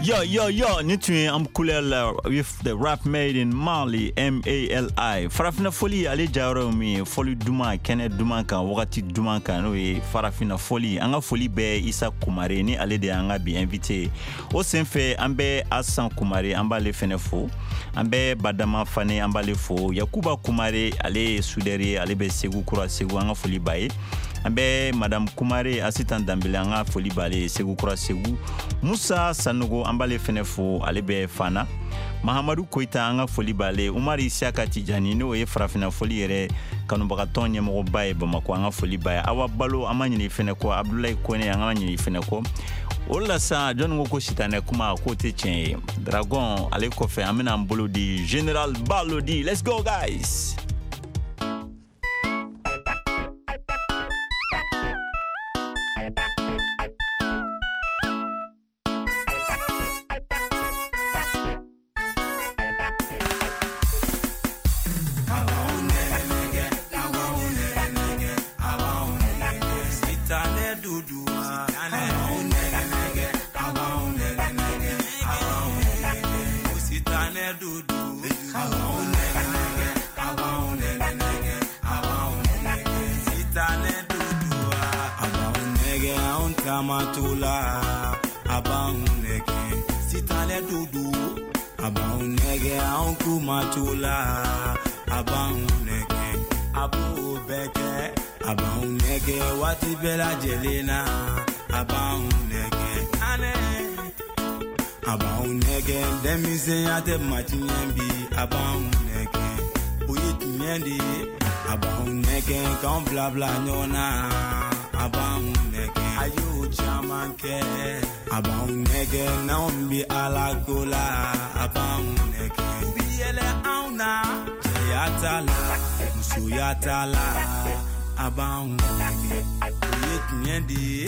Yo, yo, yo, ni tun ye Amkulel with the rap made in Mali, M-A-L-I. Farafina foli ale jayɔrɔ ye min ye, fɔli duman, kɛnɛ duman kan, wagati duman kan, n'o ye farafina foli. An ka foli bɛ Isa Kumare ni ale de y'an ka bi invité ye. O senfɛ an bɛ Asan Kumare, an b'ale fɛnɛ fo. An bɛ Badama Fane, an b'ale fo. Yakuba Kumare, ale ye soudeur ye, ale bɛ Segu Kura Segu, an ka foli b'a ye. An bɛ Madame Kumare, Asitan Danbele, an ka foli b'ale ye Segu Kura Segu. Musa Sanogo, an b'ale fɛnɛ fo, ale bɛ Fana. Mahamadu Koyita, an ka foli b'ale. Umar Isiaka Tijani, n'o ye farafina foli yɛrɛ kanubagatɔn ɲɛmɔgɔba ye Bamakɔ, an ka foli b'a ye. Awa Balo, an ma ɲinɛ fɛnɛ kɔ. Abdulayi Kone, an ma ɲinɛ fɛnɛ kɔ. O la sa, jɔnni ko sitanɛ kuma k'o tɛ tiɲɛ ye. Dragon, ale kɔfɛ, an bɛna an bolo di Général Balo di. Let's go guys!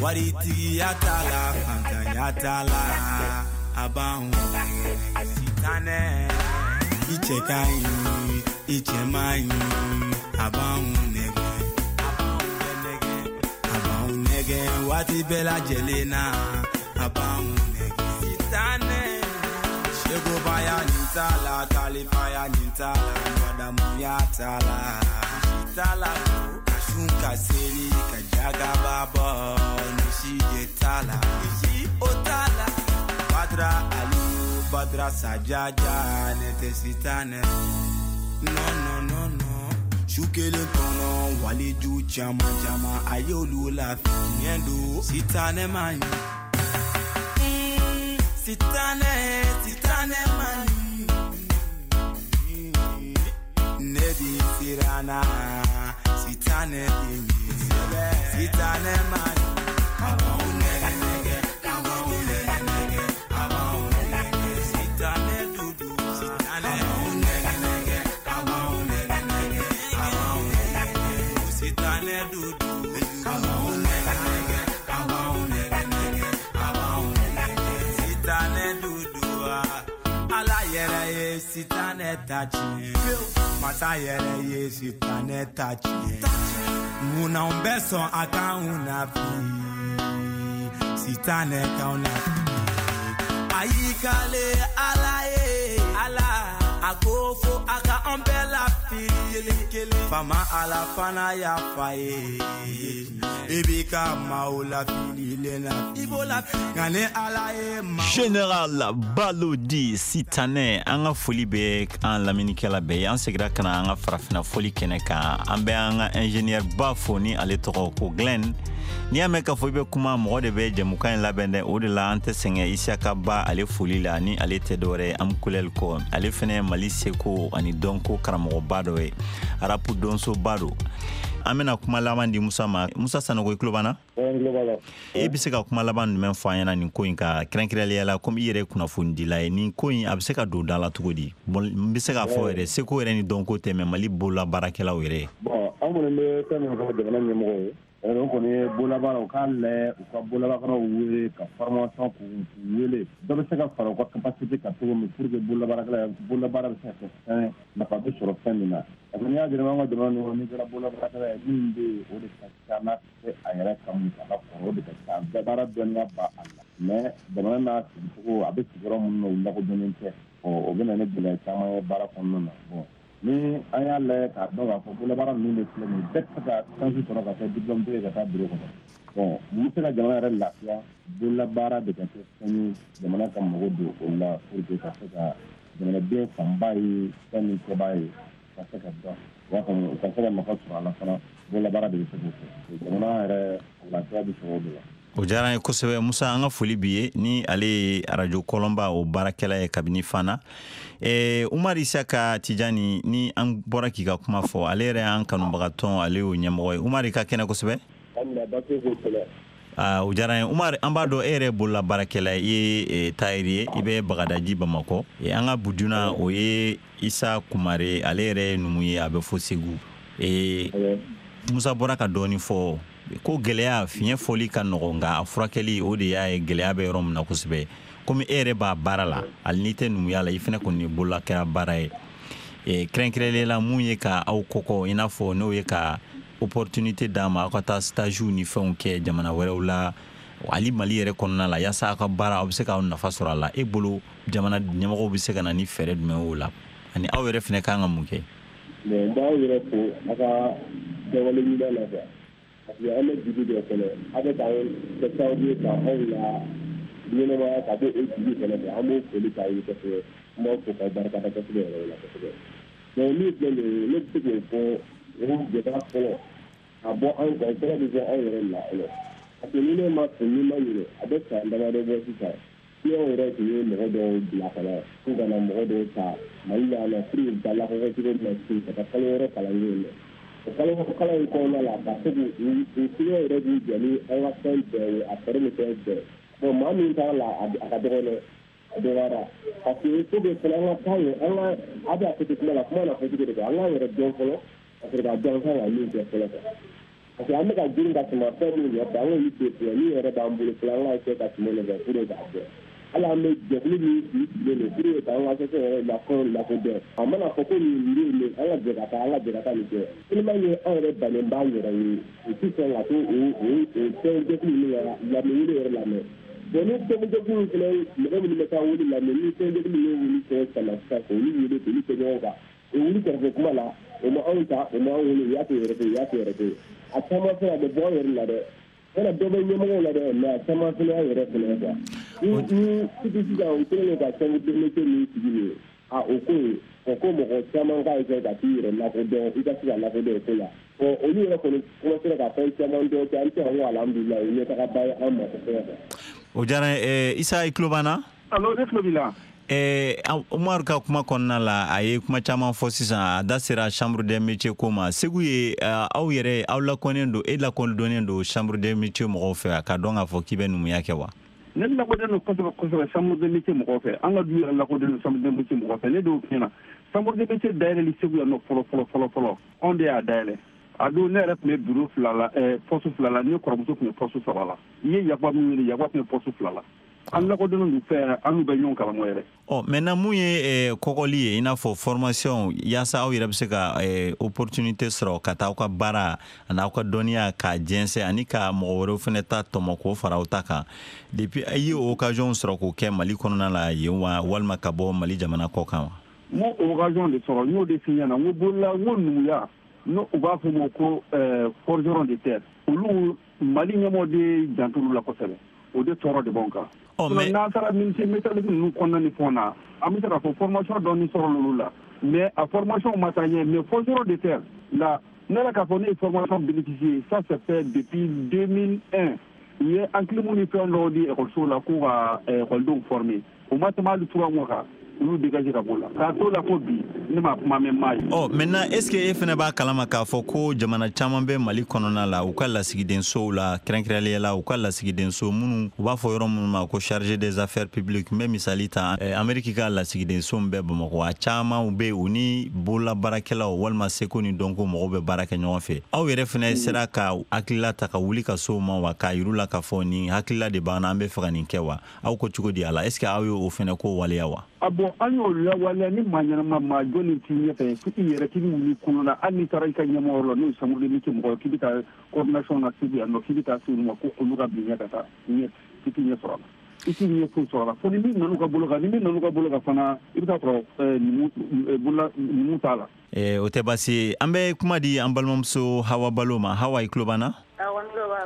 Waritigiya t'a la, fantanya t'a la, a b'anw nɛgɛ. Sitanɛ, i cɛ ka ɲi, i cɛ man ɲi, a b'anw nɛgɛ. A b'anw nɛgɛ waati bɛɛ lajɛlen na, a b'anw nɛgɛ. Sitanɛ, segobaya nin t'a la, kalifaya nin t'a la, madamuya t'a la, si t'a la o. Sun ka seli ka jagaba bɔ ni si de t'a la, ni si o t'a la. Badra Aliyu, Badra Sajaja, ne tɛ sitanɛ. Non non non non. Su kelen kɔnɔ waliju caman caman a y'olu lafi tiɲɛ don sitanɛ man ɲi. Sitanɛ, sitanɛ man ɲi. Ne bi siran na. Sitane dingi, sitane mani. Abang nege nege, abang nege nege, abang nege. Sitane dudu, sitane. Abang nege nege, abang nege nege, abang nege. Sitane dudu, abang nege nege, abang nege nege, abang nege. Sitane dudu, ala yɛrɛ ye sitane ta tiɲɛ. Masa yɛrɛ ye sitanɛ ta tiɲɛ. Munna anw bɛ sɔn a k'anw nafi? Sitanɛ k'anw nafi. kale ala ye ala a ko fo a ka an bɛɛ lafili kelen kelen fama ala fana y'a fa ye i b'i ka maaw lafili le la i b'o lafili nka ni ala ye maa. Général Balodi Sitanɛ, an ka foli bɛ an lamɛnnikɛla bɛɛ ye. An segira ka na an ka farafinna fɔli kɛnɛ kan. An bɛ an ka ingénieur ba fo ni ale tɔgɔ ko Glenn. N'i y'a mɛn k'a fɔ i bɛ kuma, mɔgɔ de bɛ jɛmukan in labɛn dɛ. O de la an tɛ sɛgɛn Isiyaka Ba ale foli la, ni ale tɛ dɔwɛrɛ ye an kulɛli kɔ. Ale fɛnɛ ye Mali seko ani dɔnko karamɔgɔba dɔ ye, rap donsoba don. An bɛna kuma laban di Musa ma. Musa Sanogo, i tulo b'an na? E bɛ se ka kuma laban jumɛn fɔ an ɲɛna nin ko in kan, kɛrɛnkɛrɛnnenya la komi i yɛrɛ ye kunnafonidila ye? Nin ko in a bɛ se ka don da la cogo di? N bɛ se k'a fɔ yɛrɛ, seko yɛrɛ ni dɔnko tɛ, mais Mali bolola baarakɛlaw yɛrɛ. Bon, an kɔni bɛ fɛn min fɔ jamana ɲɛmɔgɔw ye, o kɔni ye bololabaara, u k'a lajɛ u ka bololabaaraw wele ka formation k'u wele, dɔ bɛ se ka fara u ka capacité kan cogo min pour que bololabaarakɛla bololabaara bɛ se ka kɛ fɛn nafa bɛ sɔrɔ fɛn min na. Parce que n'i y'a jateminɛ an ka jamana ninnu, n'i kɛra bololabaarakɛla ye, min bɛ yen o de ka ca n'a tɛ a yɛrɛ kan musaka kɔrɔ, o de ka ca bɛɛ baara dɔnniya b'a la, mais jamana n'a sigicogo, a bɛ sigiyɔrɔ minnu na, u lakodɔnnen tɛ. O bɛ na ni gɛlɛya caman ye baara kɔnɔna na. Bon, ni an y'a lajɛ k'a dɔn k'a fɔ bololabaara ninnu de filɛ nin ye, bɛɛ tɛ se ka chance sɔrɔ ka kɛ diplôme ye ka taa bureau kɔnɔ. Bon, mun bɛ se ka jamana yɛrɛ lafiya? Bololabaara de ka kɛ fɛn ye jamana ka mago don o la pour que ka se ka jamanaden fanba ye fɛn min kɛbaa ye ka se ka dɔn, u b'a faamu, u ka se ka nafa sɔrɔ a la fana. Bololabaara de bɛ se k'o kɛ, jamana yɛrɛ lafiya bɛ sɔrɔ o de la. O diyara an ye kosɛbɛ. Musa, an ka foli b'i ye, ni ale ye arajo Kɔlɔnba o baarakɛla ye kabini Fana. Umar Isaka Tijani, ni an bɔra k'i ka kuma fɔ, ale yɛrɛ y'an kanubagatɔn, ale y'o ɲɛmɔgɔ ye. Umar, i ka kɛnɛ kosɛbɛ. O diyara an ye. Umar, an b'a dɔn e yɛrɛ bolola baarakɛla ye, i ye tailleur ye, i bɛ Bagadaji Bamakɔ. An ka buduna o ye Isa Kumare, ale yɛrɛ ye numu ye, a bɛ fɔ Segu. Musa bɔra ka dɔɔnin fɔ ko gɛlɛya fiɲɛ fɔli ka nɔgɔn, nka a furakɛli o de y'a ye gɛlɛya bɛ yɔrɔ min na kosɛbɛ. Komi e yɛrɛ b'a baara la, hali n'i tɛ numuya la, i fana kɔni ye bololakɛla baara ye. Kɛrɛnkɛrɛnnenya la, mun ye ka aw kɔkɔ, i n'a fɔ n'o ye ka opportunité d'a ma aw ka taa stage ni fɛnw kɛ jamana wɛrɛw la, hali Mali yɛrɛ kɔnɔna la, yaasa aw ka baara aw bɛ se k'aw nafa sɔrɔ a la. E bolo, jamana ɲɛmɔgɔw bɛ se ka na ni fɛɛrɛ jumɛn o la, ani aw yɛrɛ fana kan ka mun kɛ? Bon, n b'aw yɛrɛ fo aw ka kɛwale ɲuman na quoi, parce que an bɛ dugu dɔ kɔnɔ, aw bɛ k'an kɛ sababu ye ka anw la ɲɛnɛmaya ka bɔ o dugu kɔnɔ quoi. An b'o foli k'aw ye kosɛbɛ, an b'aw fo k'aw barikada kosɛbɛ yɛrɛ la kosɛbɛ. Donc min filɛ nin ye, ne bɛ se k'o fɔ, o gɛlɛya fɔlɔ ka bɔ anw kan, o fɔlɔ bɛ bɔ anw yɛrɛ la fɔlɔ, parce que ni ne ma fo, ni ma ɲinɛ, a bɛ san damadɔ bɔ sisan, client yɛrɛ tun ye mɔgɔ dɔw bila ka na k'u ka na mɔgɔ dɔw ta Mali la yan nɔ pour que u bɛ taa lakɔkɔ cogo min na ka taa kalo 6 kalan yen nɔ. O kalo 6 kalan in kɔnɔna la, ka se k'u client yɛrɛ b'u jɔ ni an ka fɛn bɛɛ ye, a fɛɛrɛ ni fɛn bɛɛ. Bon, maa min taara la, a ka dɔgɔn dɛ, a dɔgɔyara, parce que il faut que fana an ka taa yen, an ka a bɛ a fɔ ten kuma la, kuma n'a fɔ cogo de don, an k'an yɛrɛ dɔn fɔlɔ ka sɔrɔ k'a dɔn an kan ka min kɛ fɔlɔ quoi. Parce que an bɛ ka girin ka tɛmɛ fɛn minnu nɔfɛ, an k'olu to yen fɔlɔ, min yɛrɛ b'an bolo fɔlɔ, an k'a kɛ ka tɛmɛ o nɔfɛ pour que k'a dɔn. Hali an bɛ jɛkulu min sigilen don pour que k'an ka association yɛrɛ lafɛnw lakodɔn, a mana fɔ ko nin bɛ yen, an ka jɛ ka taa, an ka jɛ ka taa nin kɛ. Tellement que an yɛrɛ bannen b'an yɛrɛ ye, u tɛ sɔn ka to o fɛn jɛkulu ninnu ka lamɛn wele yɛrɛ lamɛn. Bon, ni fɛn jɛkulu fana, mɔgɔ minnu bɛ taa wele lamɛn, ni fɛn jɛkulu ninnu wuli fɛn sama sisan k'olu wele k'olu kɛ ɲɔgɔn kan, o wuli kɛrɛfɛ kuma la, o ma anw ta, o ma anw wele, u y'a to yɛrɛ fɛ, u y'a to yɛrɛ fɛ. A caman fana a bɛ bɔ anw yɛrɛ la dɛ. Yala dɔ bɛ ɲɛmɔgɔw la dɛ, mais a caman fana y'an yɛrɛ fana ye quoi. Ni sisan u kɛlen don ka chambre de métier min sigi nin ye, a o ko in, o ko mɔgɔ caman k'a essayer ka t'i yɛrɛ lakodɔn, i ka se ka lakodɔn o ko la. Bon, olu yɛrɛ kɔni commencé ka fɛn caman dɔn kɛ, an bɛ se ka fɔ alhamdulilayi, o ye ɲɛtagaba ye an ma kosɛbɛ quoi. O diyara n ye. Isa, i tulo b'an na? Allo, ne tulo b'i la. Umaru ka kuma kɔnɔna la, a ye kuma caman fɔ sisan, a da sera chambre des métiers ko ma. Segu ye, aw yɛrɛ aw lakɔnnen don, e lakɔdɔnnen don chambre des métiers mɔgɔw fɛ, k'a dɔn k'a fɔ k'i bɛ numuya kɛ wa? Ne lakɔdɔnnen don kosɛbɛ kosɛbɛ chambre des métiers mɔgɔw fɛ. An ka du yɛrɛ lakɔdɔnnen don chambre des métiers mɔgɔw fɛ. Ne dɔw f'i ɲɛna, chambre des métiers dayɛlɛli Segu yan nɔ fɔlɔ fɔlɔ fɔlɔ fɔlɔ, anw de y'a dayɛlɛ. A don ne yɛrɛ tun bɛ bureau 2 la, poste 2 la, ne kɔrɔmuso tun bɛ poste 3 la. I ye Yakuba min wele, Yakuba tun bɛ poste 2 la. An lakodɔnnen don fɛ, an n'u bɛ ɲɔgɔn karamɔgɔ yɛrɛ. Ɔ, maintenant, mun ye kɔkɔli ye, i n'a fɔ formation, yaasa aw yɛrɛ bɛ se ka opportunité sɔrɔ ka taa aw ka baara ani aw ka dɔnniya k'a jɛnsɛn ani ka mɔgɔ wɛrɛw fɛnɛ ta tɔmɔ k'o fara aw ta kan, depuis i ye occasion sɔrɔ k'o kɛ Mali kɔnɔna la yen wa, walima ka bɔ Mali jamana kɔ kan wa? N m'o occasion de sɔrɔ. N y'o de f'i ɲɛna, n ko bolola, n ko numuya, n'o u b'a fɔ o ma ko forgeron de terre, olu Mali ɲɛmɔgɔ de jantolu la kosɛbɛ. O de tɔɔrɔ de b'anw kan. Mais n'an taara menuisier métallique ninnu kɔnɔna ni fɛnw na, an bɛ se k'a fɔ formation dɔɔni sɔrɔ olu la, mais a formation ma taa ɲɛ. Mais forgeron de terre la, ne yɛrɛ k'a fɔ ne ye formation bénéficier, ça c'est fait depuis 2001. U ye enclume ni fɛn dɔw di ekɔlisow la k'u ka ekɔlidenw former. O ma tɛmɛ hali 3 mois kan, olu dégagé ka b'o la. K'a t'o la fo bi, ne ma kuma mɛn maa ye. Ɔ, maintenant, est ce que e fɛnɛ b'a kalama k'a fɔ ko jamana caman bɛ Mali kɔnɔna la, u ka lasigidensow la, kɛrɛnkɛrɛnnenya la u ka lasigidenso minnu u b'a fɔ yɔrɔ minnu ma ko chargé des affaires publiques? N bɛ misali ta, Amérique ka lasigidenso min bɛ Bamakɔ, a caman bɛ yen, u ni bololabaarakɛlaw walima seko ni dɔnko mɔgɔw bɛ baara kɛ ɲɔgɔn fɛ. Aw yɛrɛ fɛnɛ sera ka hakilila ta ka wuli ka s'o ma wa, k'a yir'u la k'a fɔ nin hakilila de b'an na, an bɛ fɛ ka nin kɛ wa? Aw ko cogo di a la? Est ce que aw y'o fɛnɛ ko waleya wa? Ah bon, an y'o lawaleya. Ni maa ɲɛnama, maa jɔnni t'i ɲɛfɛ, fo i yɛrɛ k'i bɛ wuli kungo la, hali n'i taara i ka ɲɛmɔgɔ la, n'o ye chambre de métier mɔgɔ ye, k'i bɛ taa coordination na Segu yan nɔ, k'i bɛ taa se olu ma ko olu ka bila ɲɛ ka taa ɲɛ, i t'i ɲɛ sɔrɔ a la, i t'i ɲɛ foyi sɔrɔ a la, fo ni min nan'u ka bolo kan. Ni min nan'u ka bolo kan fana, i bɛ taa sɔrɔ numu, bolola numu t'a la. O tɛ baasi ye. An bɛ kuma di an balimamuso Hawa Balo ma. Hawa, i tulo b'an na? Awɔ, n tulo b'a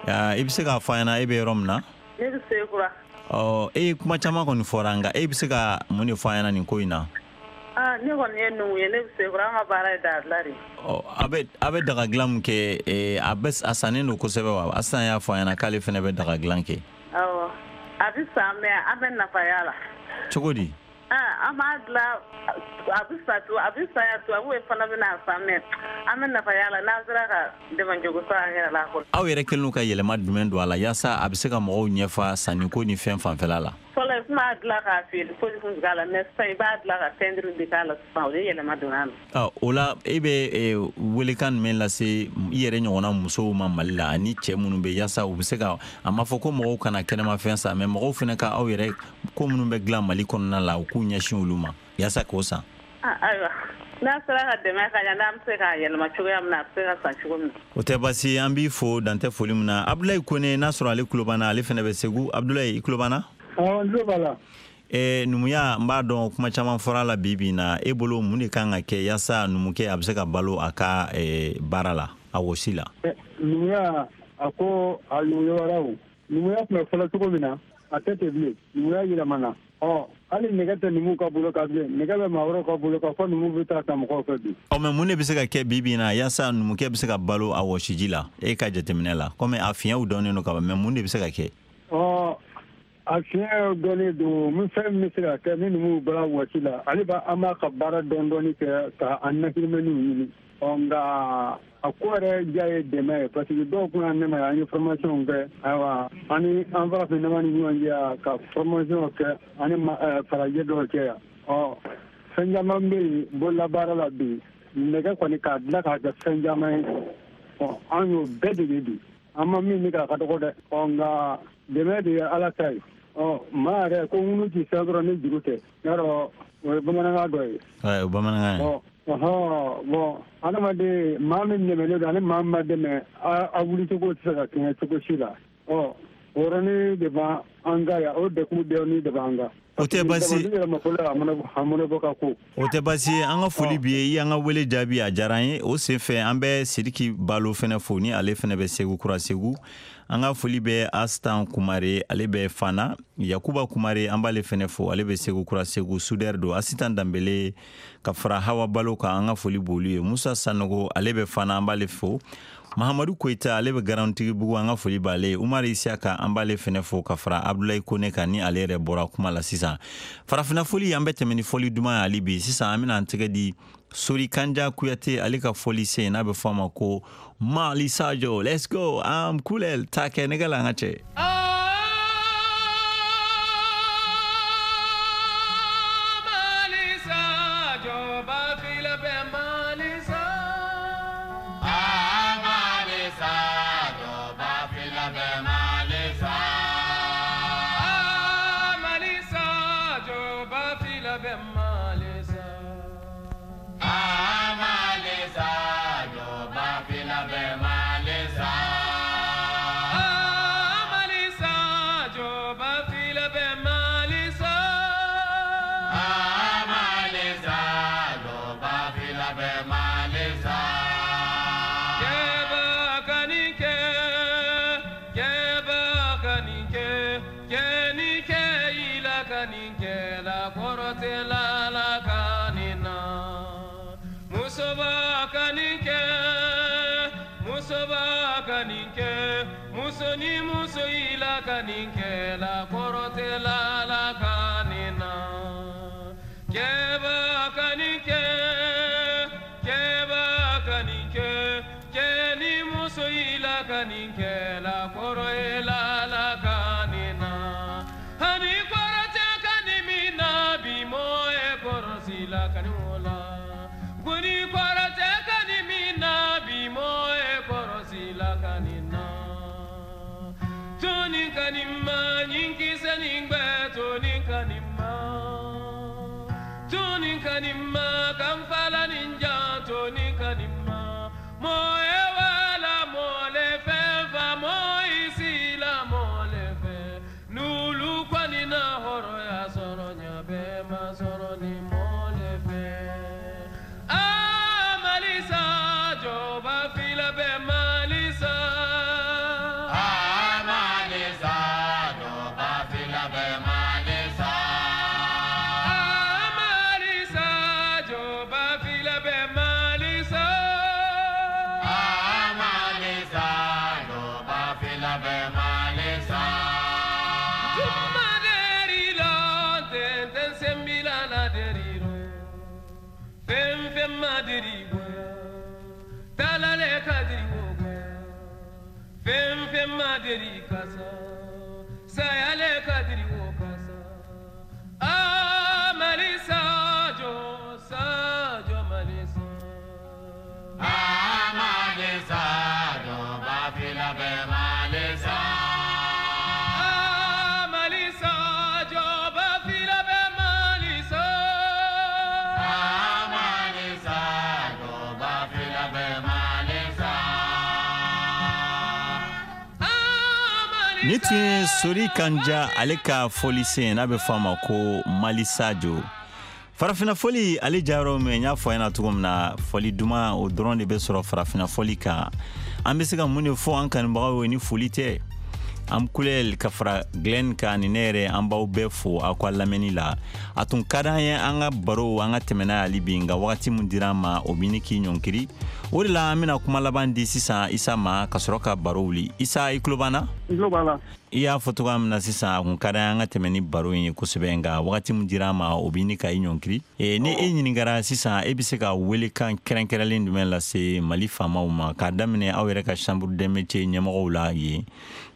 la. I bɛ se k'a fɔ an ɲɛna e bɛ yɔrɔ min na? Ne bɛ Sekura. Ɔ, e ye kuma caman kɔni fɔra, nka e bɛ se ka mun de fɔ an ɲɛna nin ko in na? Ah, ne kɔni ye numu ye, ne bɛ Sekura, an ka baara ye daga dilan de ye. Ɔ, a bɛ daga dilan mun kɛ, a bɛ a sannen don kosɛbɛ wa? Asan y'a fɔ an ɲɛna k'ale fana bɛ daga dilan kɛ. Awɔ, a bɛ san, mais an bɛ nafa y'a la. Cogo di? Ah, an b'a dilan, a bɛ san tu, a bɛ san yan, tubabuw fana bɛ n'a san, mais an bɛ nafa y'a la n'an sera ka dɛmɛ cogo sɔrɔ an yɛrɛ la a kɔnɔ. Aw yɛrɛ kɛlen don ka yɛlɛma jumɛn don a la yaasa a bɛ se ka mɔgɔw ɲɛfa sanniko ni fɛn fanfɛla la? Fɔlɔ, i tun b'a dilan k'a feere, foyi tun tɛ k'a la, mais sisan i b'a dilan ka peinture de k'a la sisan, o de yɛlɛma donna a la. Ɔ, o la e bɛ welekan jumɛn lase i yɛrɛ ɲɔgɔnna musow ma Mali la ani cɛ minnu bɛ, yaasa u bɛ se ka, a ma fɔ ko mɔgɔw kana kɛnɛmafɛn san, mais mɔgɔw fana ka aw yɛrɛ ko minnu bɛ dilan Mali kɔnɔna la, u k'u ɲɛsin olu ma yaasa k'o san? Ah, ayiwa, n'a sera ka dɛmɛ ka ɲɛ, n'an bɛ se k'a yɛlɛma cogoya min na, a bɛ se ka san cogo min na. O tɛ baasi ye. An b'i fo, dantɛ foli min na. Abdoulaye Kone, n'a sɔrɔ ale tulo b'an na, ale fana bɛ Segu. Abdoulaye, i tulo b'an na? Awɔ, n tulo b'a la. Numuya, n b'a dɔn kuma caman fɔra a la bi bi in na. E bolo, mun de kan ka kɛ yaasa numukɛ a bɛ se ka balo a ka baara la, a wɔsi la? Numuya, a ko a yɔrɔ o numuya tun bɛ fɔlɔ cogo min na, a tɛ ten bilen. Numuya yɛlɛmana. Ɔ, hali nɛgɛ tɛ numuw ka bolo kan bilen, nɛgɛ bɛ maa wɛrɛw ka bolo kan, fɔ numuw bɛ taa ta mɔgɔw fɛ bi. Ɔ, mais mun de bɛ se ka kɛ bi bi in na yaasa numukɛ bɛ se ka balo a wɔsiji la, e ka jateminɛ la? Komi a fiɲɛw dɔnnen don ka ban, mais mun de bɛ se ka kɛ? Ɔ, a fiɲɛ dɔnnen don. Min fɛn min bɛ se ka kɛ ni numuw bɔra wɔsi la, ale b'a an b'a ka baara dɔɔni dɔɔni kɛ ka an nahirimɛniw ɲini. Ɔ, nka a ko yɛrɛ diya ye dɛmɛ ye, parce que dɔw kun y'an dɛmɛ, an ye formation kɛ. Ayiwa, an ni an farafin dama ni ɲɔgɔn cɛ yan ka formation kɛ, ani farajɛ dɔw cɛ yan. Ɔ, fɛn caman bɛ yen bololabaara la bi, nɛgɛ kɔni k'a dilan k'a kɛ fɛn caman ye. Ɔ, an y'o bɛɛ dege bi, an ma min kɛ a ka dɔgɔ dɛ. Ɔ, nka dɛmɛ de ye Ala ta ye. Ɔ, maa yɛrɛ ko ŋunu ti fɛn sɔrɔ ni juru tɛ, y'a dɔn o ye bamanankan dɔ ye. O bamanankan ye. Ɔ ɔhɔn, bon, adamaden maa min dɛmɛlen don ani maa min ma dɛmɛ, a wulicogo tɛ se ka kɛɲɛ cogo si la. Ɔ, o yɔrɔnin de b'an kan yan, o degun dɔɔnin de b'an kan. O tɛ baasi. A mɔnɛ bɔ ka ko. O tɛ baasi ye. An ka foli b'i ye, i y'an ka wele jaabi, a diyara an ye. O senfɛ, an bɛ Sidiki Balo fɛnɛ fo, ni ale fɛnɛ bɛ Segu Kura Segu. An ka foli bɛ Astan Kumare, ale bɛ Fana. Yakuba Kumare, an b'ale fɛnɛ fo, ale bɛ Segu Kura Segu, soudeur don. Asitan Danbele ka fara Hawa Balo kan, an ka foli b'olu ye. Musa Sanogo, ale bɛ Fana, an b'ale fo. Mahamadu Koyita, ale bɛ Garantigibugu, an ka foli b'ale ye. Umar Isiyaka, an b'ale fɛnɛ fo ka fara Abdoulaye Kone kan, ni ale yɛrɛ bɔra kuma la sisan. Farafinna foli, an bɛ tɛmɛ ni fɔli duman ye hali bi. Sisan an bɛna an tɛgɛ di Sori Kanja Kuyate, ale ka fɔli sen n'a bɛ fɔ a ma ko Mali Sajo. Let's go, am kulel ta kɛ nɛgɛ la, an ka cɛ. Mali Sajo, Bafila bɛ Mali sa. Ah, Mali Sajo, Bafila bɛ Mali sa. ka nin kɛ la kɔrɔ tɛ la la ka nin na. Musoba ka nin kɛ, musoba ka nin kɛ, muso ni muso i la ka nin kɛ la kɔrɔ tɛ la la ka nin na. Kɛba ka nin kɛ, kɛba ka nin kɛ, cɛ ni muso i la ka nin kɛ la kɔrɔ ye la la ka nin na. Hani kɔrɔ tɛ ka nin min na bi mɔɔ ye kɔrɔsi la ka nin o la. Kuni kɔrɔ tɛ ka nin min na bi mɔɔ ye kɔrɔsi la ka nin na. Toni ka nin ma ɲinkisɛ nin gbɛ toni ka nin ma. Toni ka nin ma kanfala nin jan toni ka nin ma. Mɔɔ ye wala mɔɔ le fɛn fa mɔɔ i si la mɔɔ le fɛ. N'olu kɔni na hɔrɔnya sɔrɔ ɲa bɛɛ ma sɔrɔ ni mɔɔ le fɛ. Ah Malisa jɔba fila bɛ Malisa. Ah Malisa jɔba fila bɛ Malisa. Ah Malisa jɔba fila bɛ Malisa. Ah Malisa jɔba fila bɛ Malisa. Juma derilo tenten sembila la derilo. Fɛn fɛn ma deri goya, talale ka deri wo goya. Fɛn fɛn ma deri kasa, sayale ka deri wo kasa. Ah Malisa jɔ sa jɔ Malisa. Ah Malisa jɔba fila bɛ Malisa. Ah Malisa jɔba fila bɛ Malisa. Ah Malisa jɔba fila bɛ Malisa. Ni tun ye Sori Kanja ale ka fɔlisen n'a bɛ fɔ a ma ko Malisajo. Farafinna fɔli ale jayɔrɔ min n y'a fɔ a ɲɛna cogo min na, fɔli duman o dɔrɔn de bɛ sɔrɔ farafinna fɔli kan. An bɛ se ka mun de fɔ an kanubagaw ye ni foli tɛ? An kulɛl ka fara Glenn kan ni ne yɛrɛ, an b'aw bɛɛ fo aw ka lamɛnni la. A tun ka d'an ye an ka baro an ka tɛmɛ n'a ye hali bi, nka wagati min dira an ma o bɛ ni k'i ɲɔnkiri. O de la an bɛna kuma laban di sisan Isa ma ka sɔrɔ ka baro wuli. Isa, i tulo b'an na? N tulo b'a la. I y'a fɔ cogoya min na sisan, a kun ka d'an ye an ka tɛmɛ ni baro in ye kosɛbɛ, nka wagati min dira an ma o bɛ ni ka i ɲɔnkiri. Ni e ɲininkara sisan, e bɛ se ka welekan kɛrɛnkɛrɛnlen jumɛn lase Mali faamaw ma k'a daminɛ aw yɛrɛ ka chambre des métiers ɲɛmɔgɔw la yen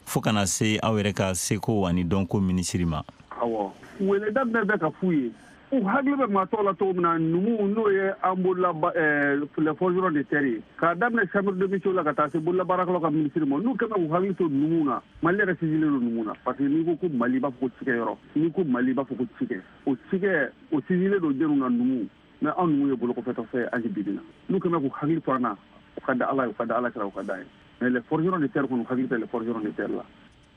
fo kana se aw yɛrɛ ka seko ani dɔnko minisiri ma? Awɔ, weleda bɛɛ bɛ ka f'u ye, u hakili bɛ maa tɔw la cogo min na, numuw n'o ye an bolola les forgerons de terre ye, k'a daminɛ chambre de métiers la ka taa se bololabaarakɛlaw ka minisiri ma, n'u kɛlen k'u hakili to numuw na. Mali yɛrɛ sinsinlen don numuw na, parce que n'i ko ko Mali, i b'a fɔ ko cikɛyɔrɔ, n'i ko Mali, i b'a fɔ ko cikɛ, o cikɛ o sinsinlen don jɛnw na numuw. Mais anw numuw ye bolokɔfɛtɔfɛn ye hali bi bi in na. N'u kɛlen k'u hakili to an na, o ka da Ala ye, o ka da Ala kira, o ka da ye. Mais les forgerons de terre kɔni, u hakili tɛ les forgerons de terre la.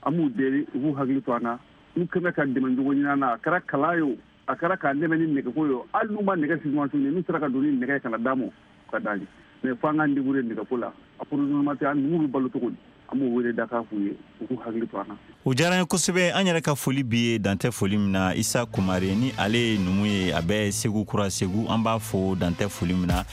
An b'u deli u k'u hakili to an na. N'u kɛlen ka dɛmɛ cogo ɲini an na, a kɛra kalan ye o, a kɛra k'an dɛmɛ ni nɛgɛko ye o, hali n'u ma nɛgɛ subventionné, n'u sera ka don ni nɛgɛ ye ka na d'an ma, o ka d'an ye. Mais fo an k'an débrouiller nɛgɛko la. Approvisionnement tɛ, an numuw bɛ balo cogo di? An b'o wele da k'a f'u ye, u k'u hakili to an na. O diyara n ye kosɛbɛ. An yɛrɛ ka foli b'i ye dantɛ foli min na, Isa Kumare, ni ale ye numu ye, a bɛ Segu Kura Segu, an b'a fo dantɛ foli min na.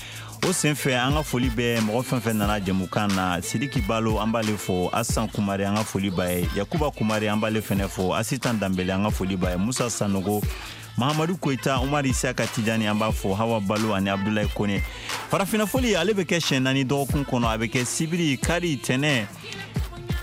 O senfɛ an ka foli bɛ mɔgɔ fɛn fɛn nana jɛmukan na. Sidiki Balo, an b'ale fo. Asan Kumare, an ka foli b'a ye. Yakuba Kumare, an b'ale fɛnɛ fo. Asitan Danbele, an ka foli b'a ye. Musa Sanogo, Mahamadu Koyita, Umar Isaka Tijani, an b'a fo. Hawa Balo ani Abdulayi Kone. Farafinna fɔli ale bɛ kɛ siɲɛ 4 dɔgɔkun kɔnɔ. A bɛ kɛ sibiri, kari, tɛnɛ,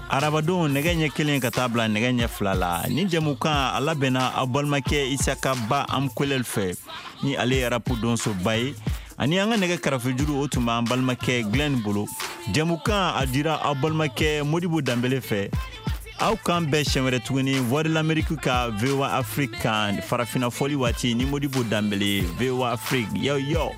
arabadon nɛgɛ ɲɛ 1 ka taa bila nɛgɛ ɲɛ 2 la. Ni jɛmukan a labɛnna aw balimakɛ Isaka Ba Amkolɛl fɛ, ni ale ye rapu donsoba ye. Ani an ka nɛgɛ karafejuru o tun b'an balimakɛ Glenn bolo. Jɛmukan a dira aw balimakɛ Modibo Danbele fɛ. Aw k'an bɛn siɲɛ wɛrɛ tuguni Voix de l'Amérique ka VOA Afrique kan farafinna fɔli waati ni Modibo Danbele, VOA Afrique. Yo yo.